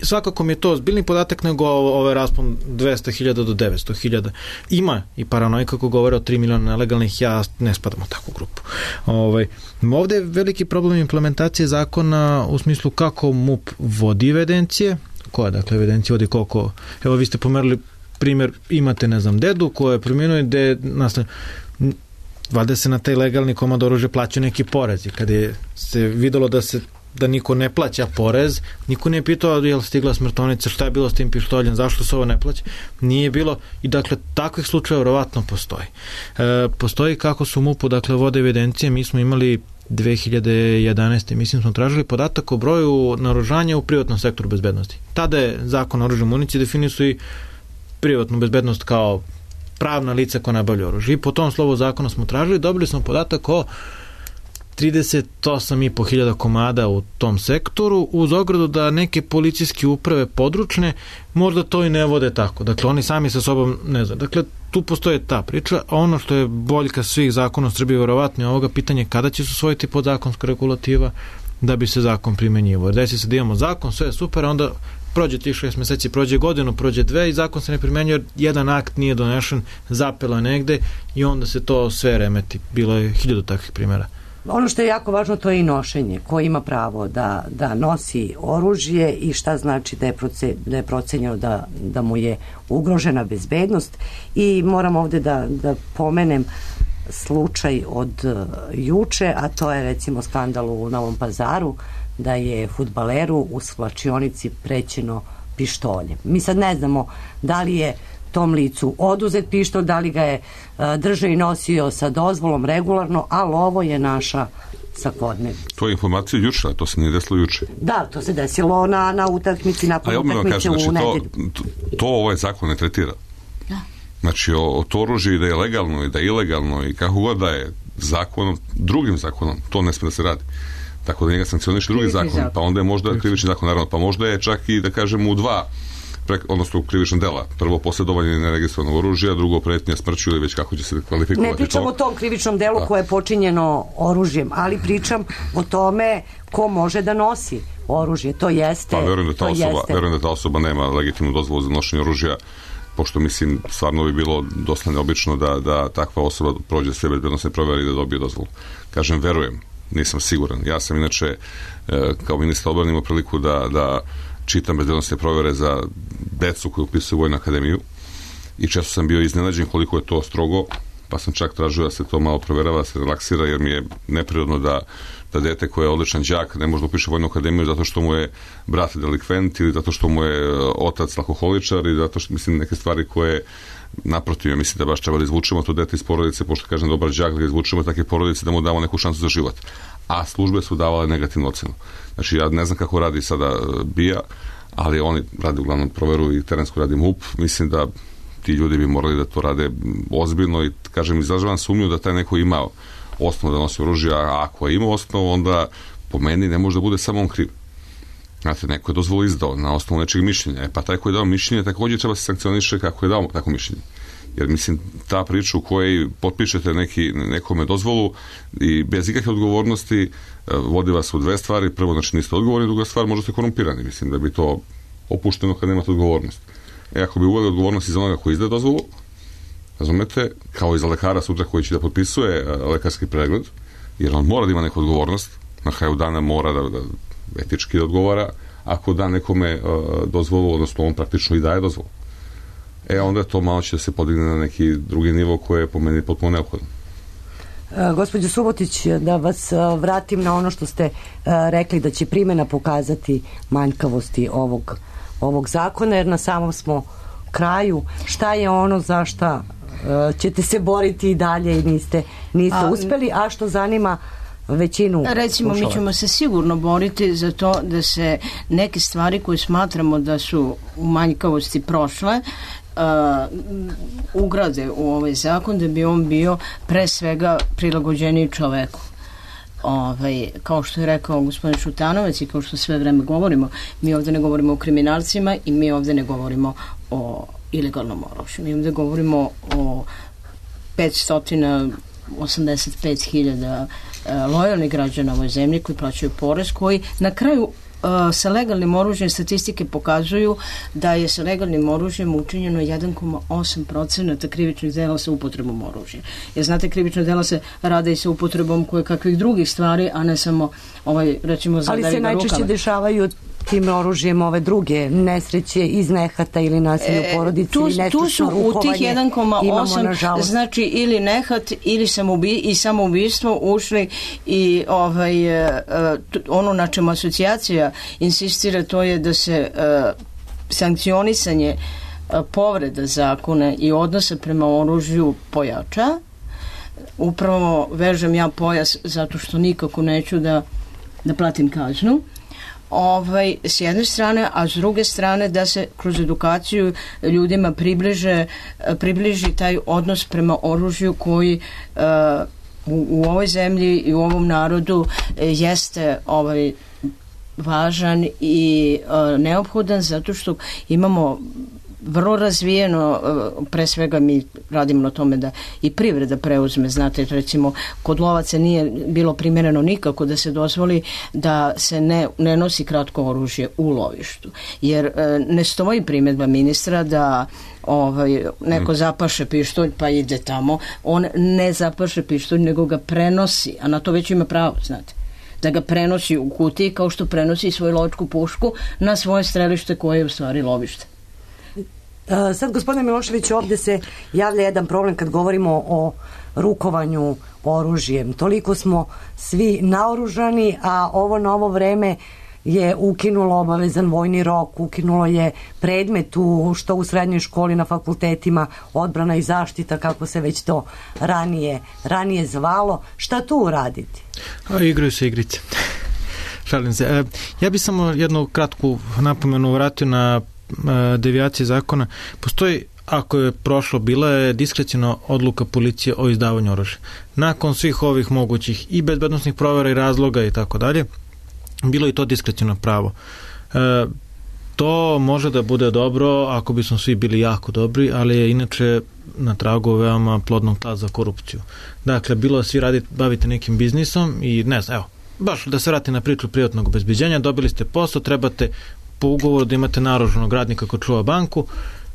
Svakako mi je to ozbiljni podatak nego ovaj raspon dvesta hiljada do devetsto hiljada. Ima i paranoja kako govore o tri miliona nelegalnih, ja ne spadam u takvu grupu. Ovaj, ovde je veliki problem implementacije zakona u smislu kako MUP vodi evidencije, koja dakle evidencija vodi koliko, evo vi ste pomerili primjer, imate ne znam dedu koja je primjenuje gde nastavlja valjda se na taj legalni komad oružja plaćaju neki porezi. Kad je se videlo da se da niko ne plaća porez, niko nije pitao je li stigla smrtovnica, šta je bilo s tim pištoljem, zašto se ovo ne plaća, nije bilo i dakle takvih slučaja verovatno postoji. E, postoji kako su MUP-u dakle vode evidencije, mi smo imali dve hiljade jedanaeste mislim smo tražili podatak o broju naoružanja u privatnom sektoru bezbednosti. Tada je zakon o oružju i municiji definisao i privatnu bezbednost kao pravna lica koja nabavlja oružje. I po tom slovu zakona smo tražili, dobili smo podatak o trideset osam i po hiljada komada u tom sektoru, uz ogradu da neke policijske uprave područne možda to i ne vode tako. Dakle, oni sami sa sobom ne znaju. Dakle, tu postoje ta priča, a ono što je boljka svih zakona u Srbiji verovatno je ovoga pitanje kada će se usvojiti podzakonska regulativa da bi se zakon primenjivao. Jer desi se da imamo zakon, sve je super, a onda prođe tih šest meseci, prođe godinu, prođe dve i zakon se ne primenjuje jer jedan akt nije donešen, zapela negde i onda se to sve remeti. Bilo je hiljadu takvih primjera. Ono što je jako važno to je i nošenje. Ko ima pravo da, da nosi oružje i šta znači da je, proce, da je procenjeno da, da mu je ugrožena bezbednost. I moram ovde da, da pomenem slučaj od uh, juče, a to je recimo skandal u Novom Pazaru da je fudbaleru u svlačionici prećeno pištoljem. Mi sad ne znamo da li je tom licu oduzet pištolj, da li ga je uh, držao i nosio sa dozvolom regularno, ali ovo je naša svakodnevnica. To je informacija juče, a to se nije desilo juče. Da, to se desilo na, na utakmici, nakon utakmice kažem, znači, u nedelju. To, to, to ovaj zakon ne tretira. Da. Znači, o, o to oružje da je legalno i da je ilegalno i kako god da je zakonom, drugim zakonom, to ne smije da se radi. Tako da njega sankcioniše drugi zakon, zakon, pa onda je možda krivični zakon, naravno, pa možda je čak i, da kažemo, u dva Prek, odnosno u krivičnom dela. Prvo posjedovanje neregistrovanog oružja, drugo pretnja smrću ili već kako će se kvalifikovati. Ne pričam to. o tom krivičnom delu da. koje je počinjeno oružjem, ali pričam o tome ko može da nosi oružje. To jeste... Pa verujem da ta, osoba, verujem da ta osoba nema legitimnu dozvolu za nošenje oružja, pošto mislim stvarno bi bilo dosta neobično da, da takva osoba prođe sve bezbednosne provere i da dobije dozvolu. Kažem, verujem, nisam siguran. Ja sam inače kao ministar odbrane imao priliku da, da čitam bezbednosne provere za decu koji upisuju Vojnu akademiju i često sam bio iznenađen koliko je to strogo, pa sam čak tražio da se to malo proverava, da se relaksira, jer mi je neprirodno da, da dete koje je odličan đak ne može da upiše Vojnu akademiju zato što mu je brat delikvent ili zato što mu je otac alkoholičar i zato što, mislim, neke stvari koje naprotiv, ja mislim da baš treba da izvučemo to dete iz porodice, pošto kažem dobar đak, da ga izvučemo takve porodice, da mu damo neku šansu za život. A službe su davale negativnu ocenu. Znači, ja ne znam kako radi sada B I A, ali oni radi uglavnom proveru i terensku radi MUP. Mislim da ti ljudi bi morali da to rade ozbiljno i, kažem, izražavam sumnju da taj neko ima osnovu da nosi oružje, a ako je imao osnovu, onda po meni ne može da bude samo on kriv. Znate, neko je dozvolu izdao na osnovu nečeg mišljenja. E pa taj koji je dao mišljenje, također treba se sankcioniše kako je dao tako mišljenje. Jer, mislim, ta priča u kojoj potpišete neki, nekome dozvolu i bez ikakve odgovornosti vodi vas u dve stvari. Prvo, znači, niste odgovorni, druga stvar, možda ste korumpirani. Mislim da bi to opušteno kad nemate odgovornost. E, ako bi uveli odgovornost iz onoga koji izdaje dozvolu, razumete, kao i za lekara sutra koji će da potpisuje lekarski pregled, jer on mora da ima neku odgovornost, na kraju dana mora da, da etički da odgovara, ako da nekome uh, dozvolu, odnosno on praktično i daje dozvolu. E, onda je to malo će da se podigne na neki drugi nivo koji je po meni potpuno neophodan. E, gospođo Subotić, da vas a, vratim na ono što ste a, rekli da će primjena pokazati manjkavosti ovog, ovog zakona, jer na samom smo kraju. Šta je ono za šta a, ćete se boriti i dalje i niste, niste a, uspeli, a što zanima većinu Recimo, slušalaca. mi ćemo se sigurno boriti za to da se neke stvari koje smatramo da su u manjkavosti prošle uh, ugrade u ovaj zakon, da bi on bio pre svega prilagođeniji čoveku. Ovaj, kao što je rekao gospodin Šutanovac i kao što sve vreme govorimo, mi ovde ne govorimo o kriminalcima i mi ovde ne govorimo o ilegalnom oružju. Mi ovde govorimo o petsto osamdeset pet hiljada lojalnih građana u ovoj zemlji koji plaćaju porez, koji na kraju sa legalnim oružjem statistike pokazuju da je sa legalnim oružjem učinjeno jedan zarez osam procenata krivičnih dela sa upotrebom oružja. Jer znate, krivična dela se rade i sa upotrebom koje kakvih drugih stvari, a ne samo ovaj, recimo, zadavi ga rukama. Ali se najčešće dešavaju tim oružjem ove druge nesreće iz nehata ili nasilja u porodici, tu, ili nestručno rukovanje. Tu su u tih jedan zarez osam znači ili nehat ili samoubi, i samoubistvo ušli i ovaj, uh, ono na čemu asocijacija insistira, to je da se uh, sankcionisanje uh, povreda zakona i odnosa prema oružju pojača. Upravo vežem ja pojas zato što nikako neću da, da platim kaznu. Ovaj, s jedne strane, a s druge strane da se kroz edukaciju ljudima približe, približi taj odnos prema oružju koji uh, u, u ovoj zemlji i u ovom narodu jeste ovaj, važan i uh, neophodan, zato što imamo vrlo razvijeno, pre svega mi radimo na tome da i privreda preuzme, znate, recimo kod lovaca nije bilo primjereno nikako da se dozvoli da se ne, ne nosi kratko oružje u lovištu, jer ne stoji primjedba ministra da ovaj, neko zapaše pištolj pa ide tamo, on ne zapaše pištolj nego ga prenosi, a na to već ima pravo, znate, da ga prenosi u kutiji kao što prenosi svoju lovačku pušku na svoje strelište koje je u stvari lovište. Sad, gospodine Milošević, ovdje se javlja jedan problem kad govorimo o rukovanju oružjem. Toliko smo svi naoružani, a ovo novo vreme je ukinulo obavezan vojni rok, ukinulo je predmet u, što u srednjoj školi, na fakultetima, odbrana i zaštita, kako se već to ranije, ranije zvalo. Šta tu uraditi? A, igraju se igrice. Šalim se. E, ja bih samo jednu kratku napomenu vratio na devijacije zakona. Postoji, ako je prošlo, bila je diskrecijna odluka policije o izdavanju oružja. Nakon svih ovih mogućih i bezbednosnih provera i razloga i tako dalje, bilo je to diskrecijno pravo. E, to može da bude dobro ako bismo svi bili jako dobri, ali je inače na tragu veoma plodnog tla za korupciju. Dakle, bilo da svi radite, bavite nekim biznisom i ne znam, evo, baš da se vrati na priču privatnog obezbeđenja, dobili ste posao, trebate po ugovoru da imate naoružanog radnika ko čuva banku,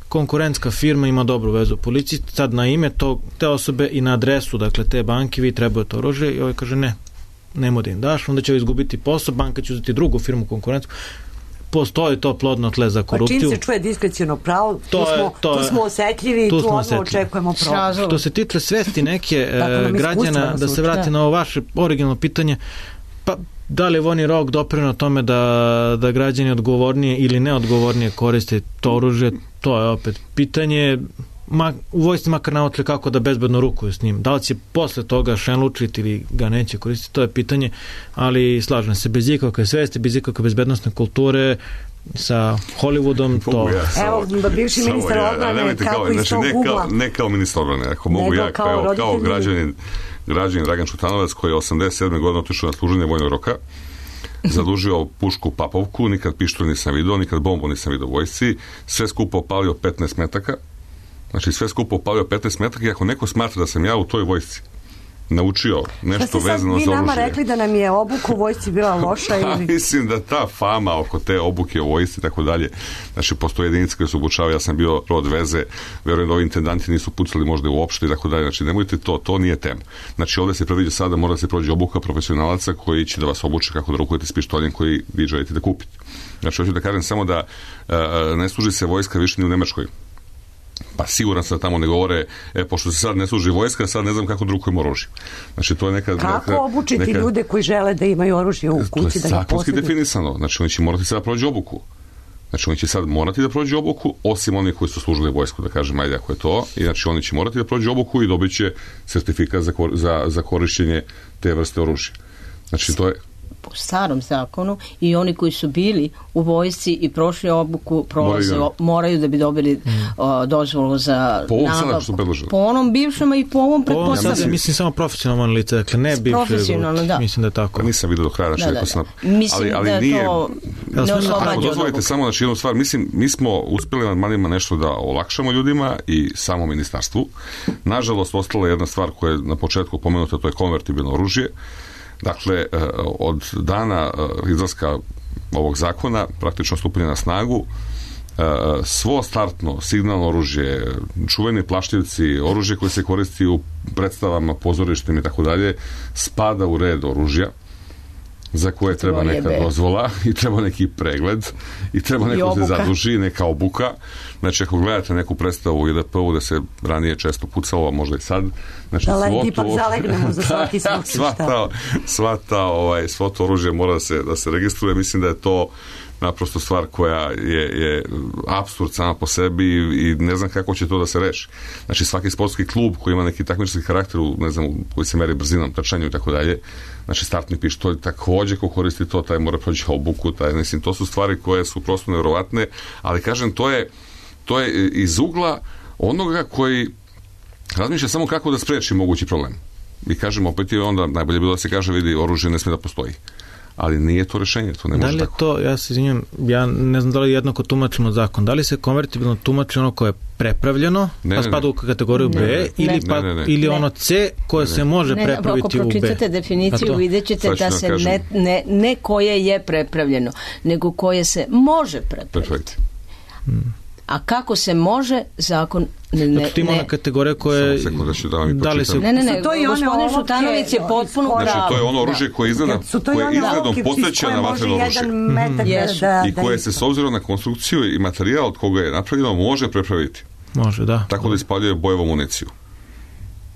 konkurentska firma ima dobru vezu u policiji, sad na ime to, te osobe i na adresu, dakle, te banke, vi trebujete oružje i ovaj kaže ne, nemo da im daš, onda će izgubiti posao, banka će uzeti drugu firmu konkurentsku. Postoji to plodno tle za korupciju. Pa čim se čuje diskrecijno pravo, tu, to je, smo, to tu smo osjetljivi i tu odmah očekujemo pravo. Što se tiče svesti neke e, građana, da se vrati na ovo vaše originalno pitanje, pa da li je vojni rok doprineo tome da, da građani odgovornije ili neodgovornije koriste to oružje, to je opet pitanje. Ma, u vojsci makar naučili kako da bezbedno rukuju s njim. Da li će posle toga šenlučiti ili ga neće koristiti, to je pitanje, ali slažem se, bez ikakve svesti, bez ikakve bezbednostne kulture, sa Hollywoodom, to... Ja, evo, bivši ministar ja, odbrane, kako kao, iz znači, tog ne ugla... Kao, ne kao ministar odbrane, ako mogu ja, kao, kao, kao građanin, građanin Dragan Šutanovac, koji je osamdeset sedme godine otišao na služenje vojnog roka, zadužio pušku Papovku, nikad pištolj nisam vidio, nikad bombu nisam vidio u vojsci, sve skupo opalio petnaest metaka, znači sve skupo opalio petnaest metaka i ako neko smatra da sam ja u toj vojsci naučio nešto vezano za oružje. Vi nama rekli da nam je obuka u vojsci bila loša ili... Mislim da ta fama oko te obuke u vojsci i tako dalje, znači postoje jedinice koje su obučavaju, ja sam bio rod veze, verujem da ovi intendanti nisu pucali možda uopšte i tako dalje, znači nemojte to, to nije tema. Znači ovdje se predviđa sada, mora da se prođe obuka profesionalaca koji će da vas obuče kako da rukujete s pištoljem koji vi želite da kupite. Znači hoću da kažem samo da uh, ne služi se vojska više ni u Nemačkoj. Pa siguran sam da tamo ne govore, e, pošto se sad ne služi vojska, sad ne znam kako drukujemo oružje. Znači, to je neka... Kako neka, obučiti neka, ljude koji žele da imaju oružje u kući, da ga posjeduju? To je zakonski definisano. Znači, oni će morati sad prođu obuku. Znači, oni će sad morati da prođu obuku, osim onih koji su služili vojsku, da kažem, ajde ako je to. I znači, oni će morati da prođu obuku i dobit će sertifikat za, za, za korišćenje te vrste oružja. Znači, to je po starom zakonu i oni koji su bili u vojsci i prošli obuku prolaze, moraju, moraju da bi dobili mm. o, dozvolu za po ovom sada što predložili. Po onom bivšem i po ovom pretpostavljam. Ja mislim samo profesionalno lice, dakle ne bivše. Profesionalno, da. Mislim da je tako. Pa nisam vidio do kraja, znači, da, da, sam, da. Mislim ali, ali da nije, to ne oslobađa. Ako dozvolite samo znači, jednu stvar, mislim, mi smo uspjeli nad manima nešto da olakšamo ljudima i samo ministarstvu. Nažalost, ostala je jedna stvar koja je na početku pomenuta, to je konvertibilno oružje. Dakle, od dana izlaska ovog zakona, praktično stupanja na snagu, svo startno signalno oružje, čuveni plašljivci, oružje koje se koristi u predstavama, pozorištima i tako dalje, spada u red oružja za koje treba neka dozvola i treba neki pregled i treba neko se zaduži, neka obuka. Znači, ako gledate neku predstavu u I D P-u da se ranije često pucalo, a možda i sad, znači, da le, ipak zalegnemo za svaki slučaj. Sva ta, sva ta, ovaj, svo to oružje mora da se, da se registruje. Mislim da je to naprosto stvar koja je, je apsurd sama po sebi i, i ne znam kako će to da se reši. Znači, svaki sportski klub koji ima neki takmičarski karakter, ne znam, koji se meri brzinom, trčanju i tako dalje, znači startni pištolj takođe ko koristi to, taj mora proći obuku, taj, mislim, to su stvari koje su prosto nevjerovatne, ali kažem, to je to je iz ugla onoga koji razmišlja samo kako da spreči mogući problem. I kažem, opet je onda najbolje bilo da se kaže, vidi, oružje ne sme da postoji. Ali nije to rešenje, to ne može tako. Da li je to, ja se izvinjam, ja ne znam da li jednako tumačimo zakon, da li se konvertibilno tumači ono koje je prepravljeno, ne, pa spada u kategoriju ne, B, ne, ili, ne, pa, ne, ne, ili ono C koje ne, se može ne, prepraviti u B. Ako pročitate definiciju, vidjet ćete da se ne, ne, ne koje je prepravljeno, nego koje se može prepraviti. Perfekt. Hmm. A kako se može, zakon ne... ne, znači, ima ona kategorija koje... Da li se... Ne, ne, ne, gospodin Šutanović je potpuno pravo. Znači, to je ono oružje koje izgleda, koje izgledom podsjeća na vatreno oružje. I koje se, s obzirom na konstrukciju i materijal od koga je napravljeno, može prepraviti. Može, da. Tako da ispaljuje bojevu municiju.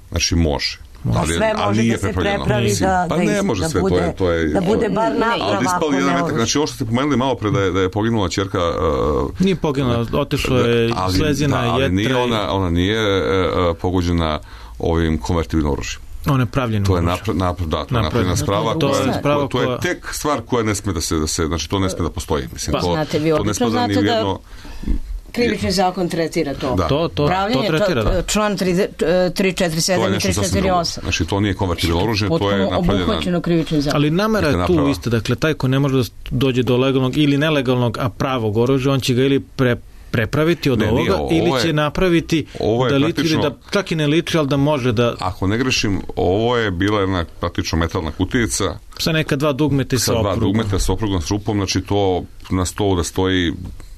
Znači, može. Ali, sve može da se prepravi da, pa ne da, može da, sve, bude, to je, to je, da bude bar naprava. Ali jedan metak, znači ovo što ste pomenuli malo pre da je, da je poginula ćerka... Uh, nije poginula, otišla je ali, slezina, da, ali jetra. Nije ona, ona nije uh, pogođena ovim konvertibilnim oružjem. Ona je pravljena. To je napra, napra, da, to je napravljena sprava, to, koja, je, sprava to je tek stvar koja ne sme da se, da se znači to ne sme da postoji. Mislim, pa, to, znate, vi to ne spada ni u jedno... Krivični zakon tretira to. Da. To, to, Pravljenje, to tretira, da. Član tri četiri sedam i tri četiri osam. Znači, to nije konvertibilno oružje, to je napravljeno... obuhvaćeno krivičnim zakonom. Ali namera je tu iste, dakle, taj ko ne može da dođe do legalnog ili nelegalnog, a pravog oružja, on će ga ili pre prepraviti od ne, ovoga nije, ovo ili je, će napraviti da liči ili da čak i ne liči, ali da može da... Ako ne grešim, ovo je bila jedna praktično metalna kutijica sa neka dva dugmeta i sa oprugom. Sa dva dugmeta sa oprugom, s rupom, znači to na stolu da stoji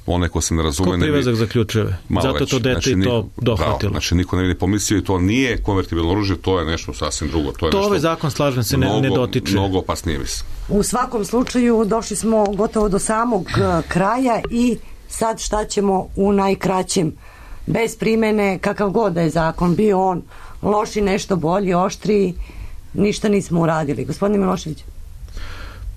one ko se ne razume... Ko privezak za ključeve. Zato to dete znači, i to dohvatilo. Pravo, znači niko ne vidi pomislio i to nije konvertibilno oružje, to je nešto sasvim drugo. To, je to nešto ovaj zakon, slažem se, mnogo, ne, ne dotiče. Mnogo opasnije mislim. U svakom slučaju došli smo gotovo do samog kraja i sad šta ćemo u najkraćem, bez primene, kakav god da je zakon, bio on loši, nešto bolji, oštriji, ništa nismo uradili. Gospodine Milošević?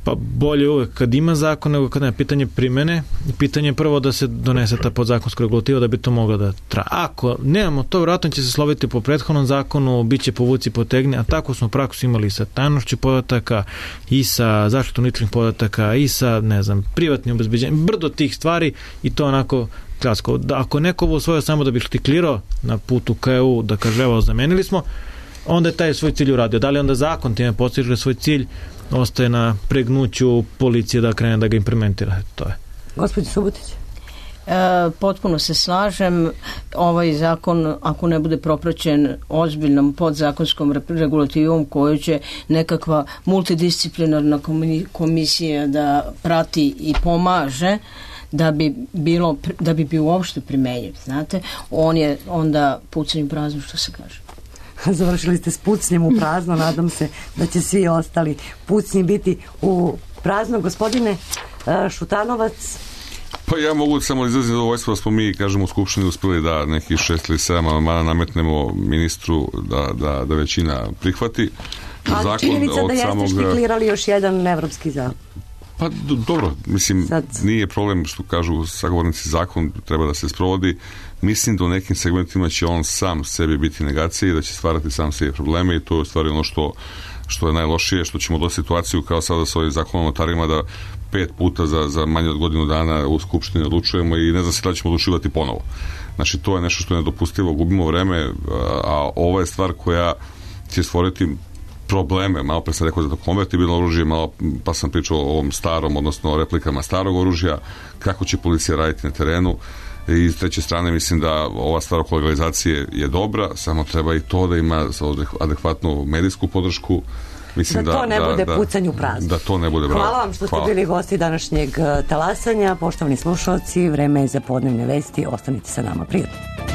Pa bolje uvek kad ima zakon nego kad nema. Pitanje primene i pitanje je prvo da se donese ta podzakonska regulativa da bi to mogla da traje. Ako nemamo to, vjerojatno će se sloviti po prethodnom zakonu, bit će povuci potegni, a tako smo praksu imali sa tajnošću podataka i sa zaštitom ličnih podataka i sa, ne znam, privatnim obezbeđenjem, brdo tih stvari i to onako klasko. Da, ako neko ovo usvojio samo da bi štiklirao na putu ka E U, da kaže evo zamenili smo, onda je taj svoj cilj uradio. Da li onda zakon time postiže svoj cilj, ostaje na pregnuću policije da krene da ga implementira. To je. Gospođo Subotić? E, potpuno se slažem. Ovaj zakon, ako ne bude propraćen ozbiljnom podzakonskom regulativom koju će nekakva multidisciplinarna komisija da prati i pomaže, da bi bilo, da bi bio uopšte primenjiv, znate, on je onda pucanj u prazno, što se kaže. Završili ste s pucnjem u prazno, nadam se da će svi ostali pucnji biti u prazno. Gospodine Šutanovac? Pa ja mogu samo izraziti zadovoljstvo da smo mi, kažem, u Skupštini uspjeli da neki šest ili sedam amandmana nametnemo ministru da, da, da većina prihvati. A zakon činjenica da jeste samog... štiklirali još jedan evropski zakon. Pa do, dobro, mislim, sad... nije problem što kažu sagovornici, zakon treba da se sprovodi. Mislim da u nekim segmentima će on sam sebi biti negacija i da će stvarati sam sebi probleme i to je stvari ono što što je najlošije, što ćemo doći situaciju kao sada sa ovim zakonom o notarima da pet puta za, za manje od godinu dana u Skupštini odlučujemo i ne znam se da ćemo odlučivati ponovo. Znači, to je nešto što je nedopustivo, gubimo vreme, a ova je stvar koja će stvoriti probleme. Malo pre sam rekao za to konvertibilno oružje, malo pa sam pričao o ovom starom, odnosno o replikama starog oružja, kako će policija raditi na terenu. I s treće strane mislim da ova stvar oko legalizacije je dobra, samo treba i to da ima adekvatnu medijsku podršku. Mislim da, da to ne da, bude da, pucanju prazno. Da to ne bude bravo. Hvala vam što ste Hvala. bili gosti današnjeg talasanja. Poštovani slušalci, vreme je za podnevne vesti. Ostanite sa nama, prijatno.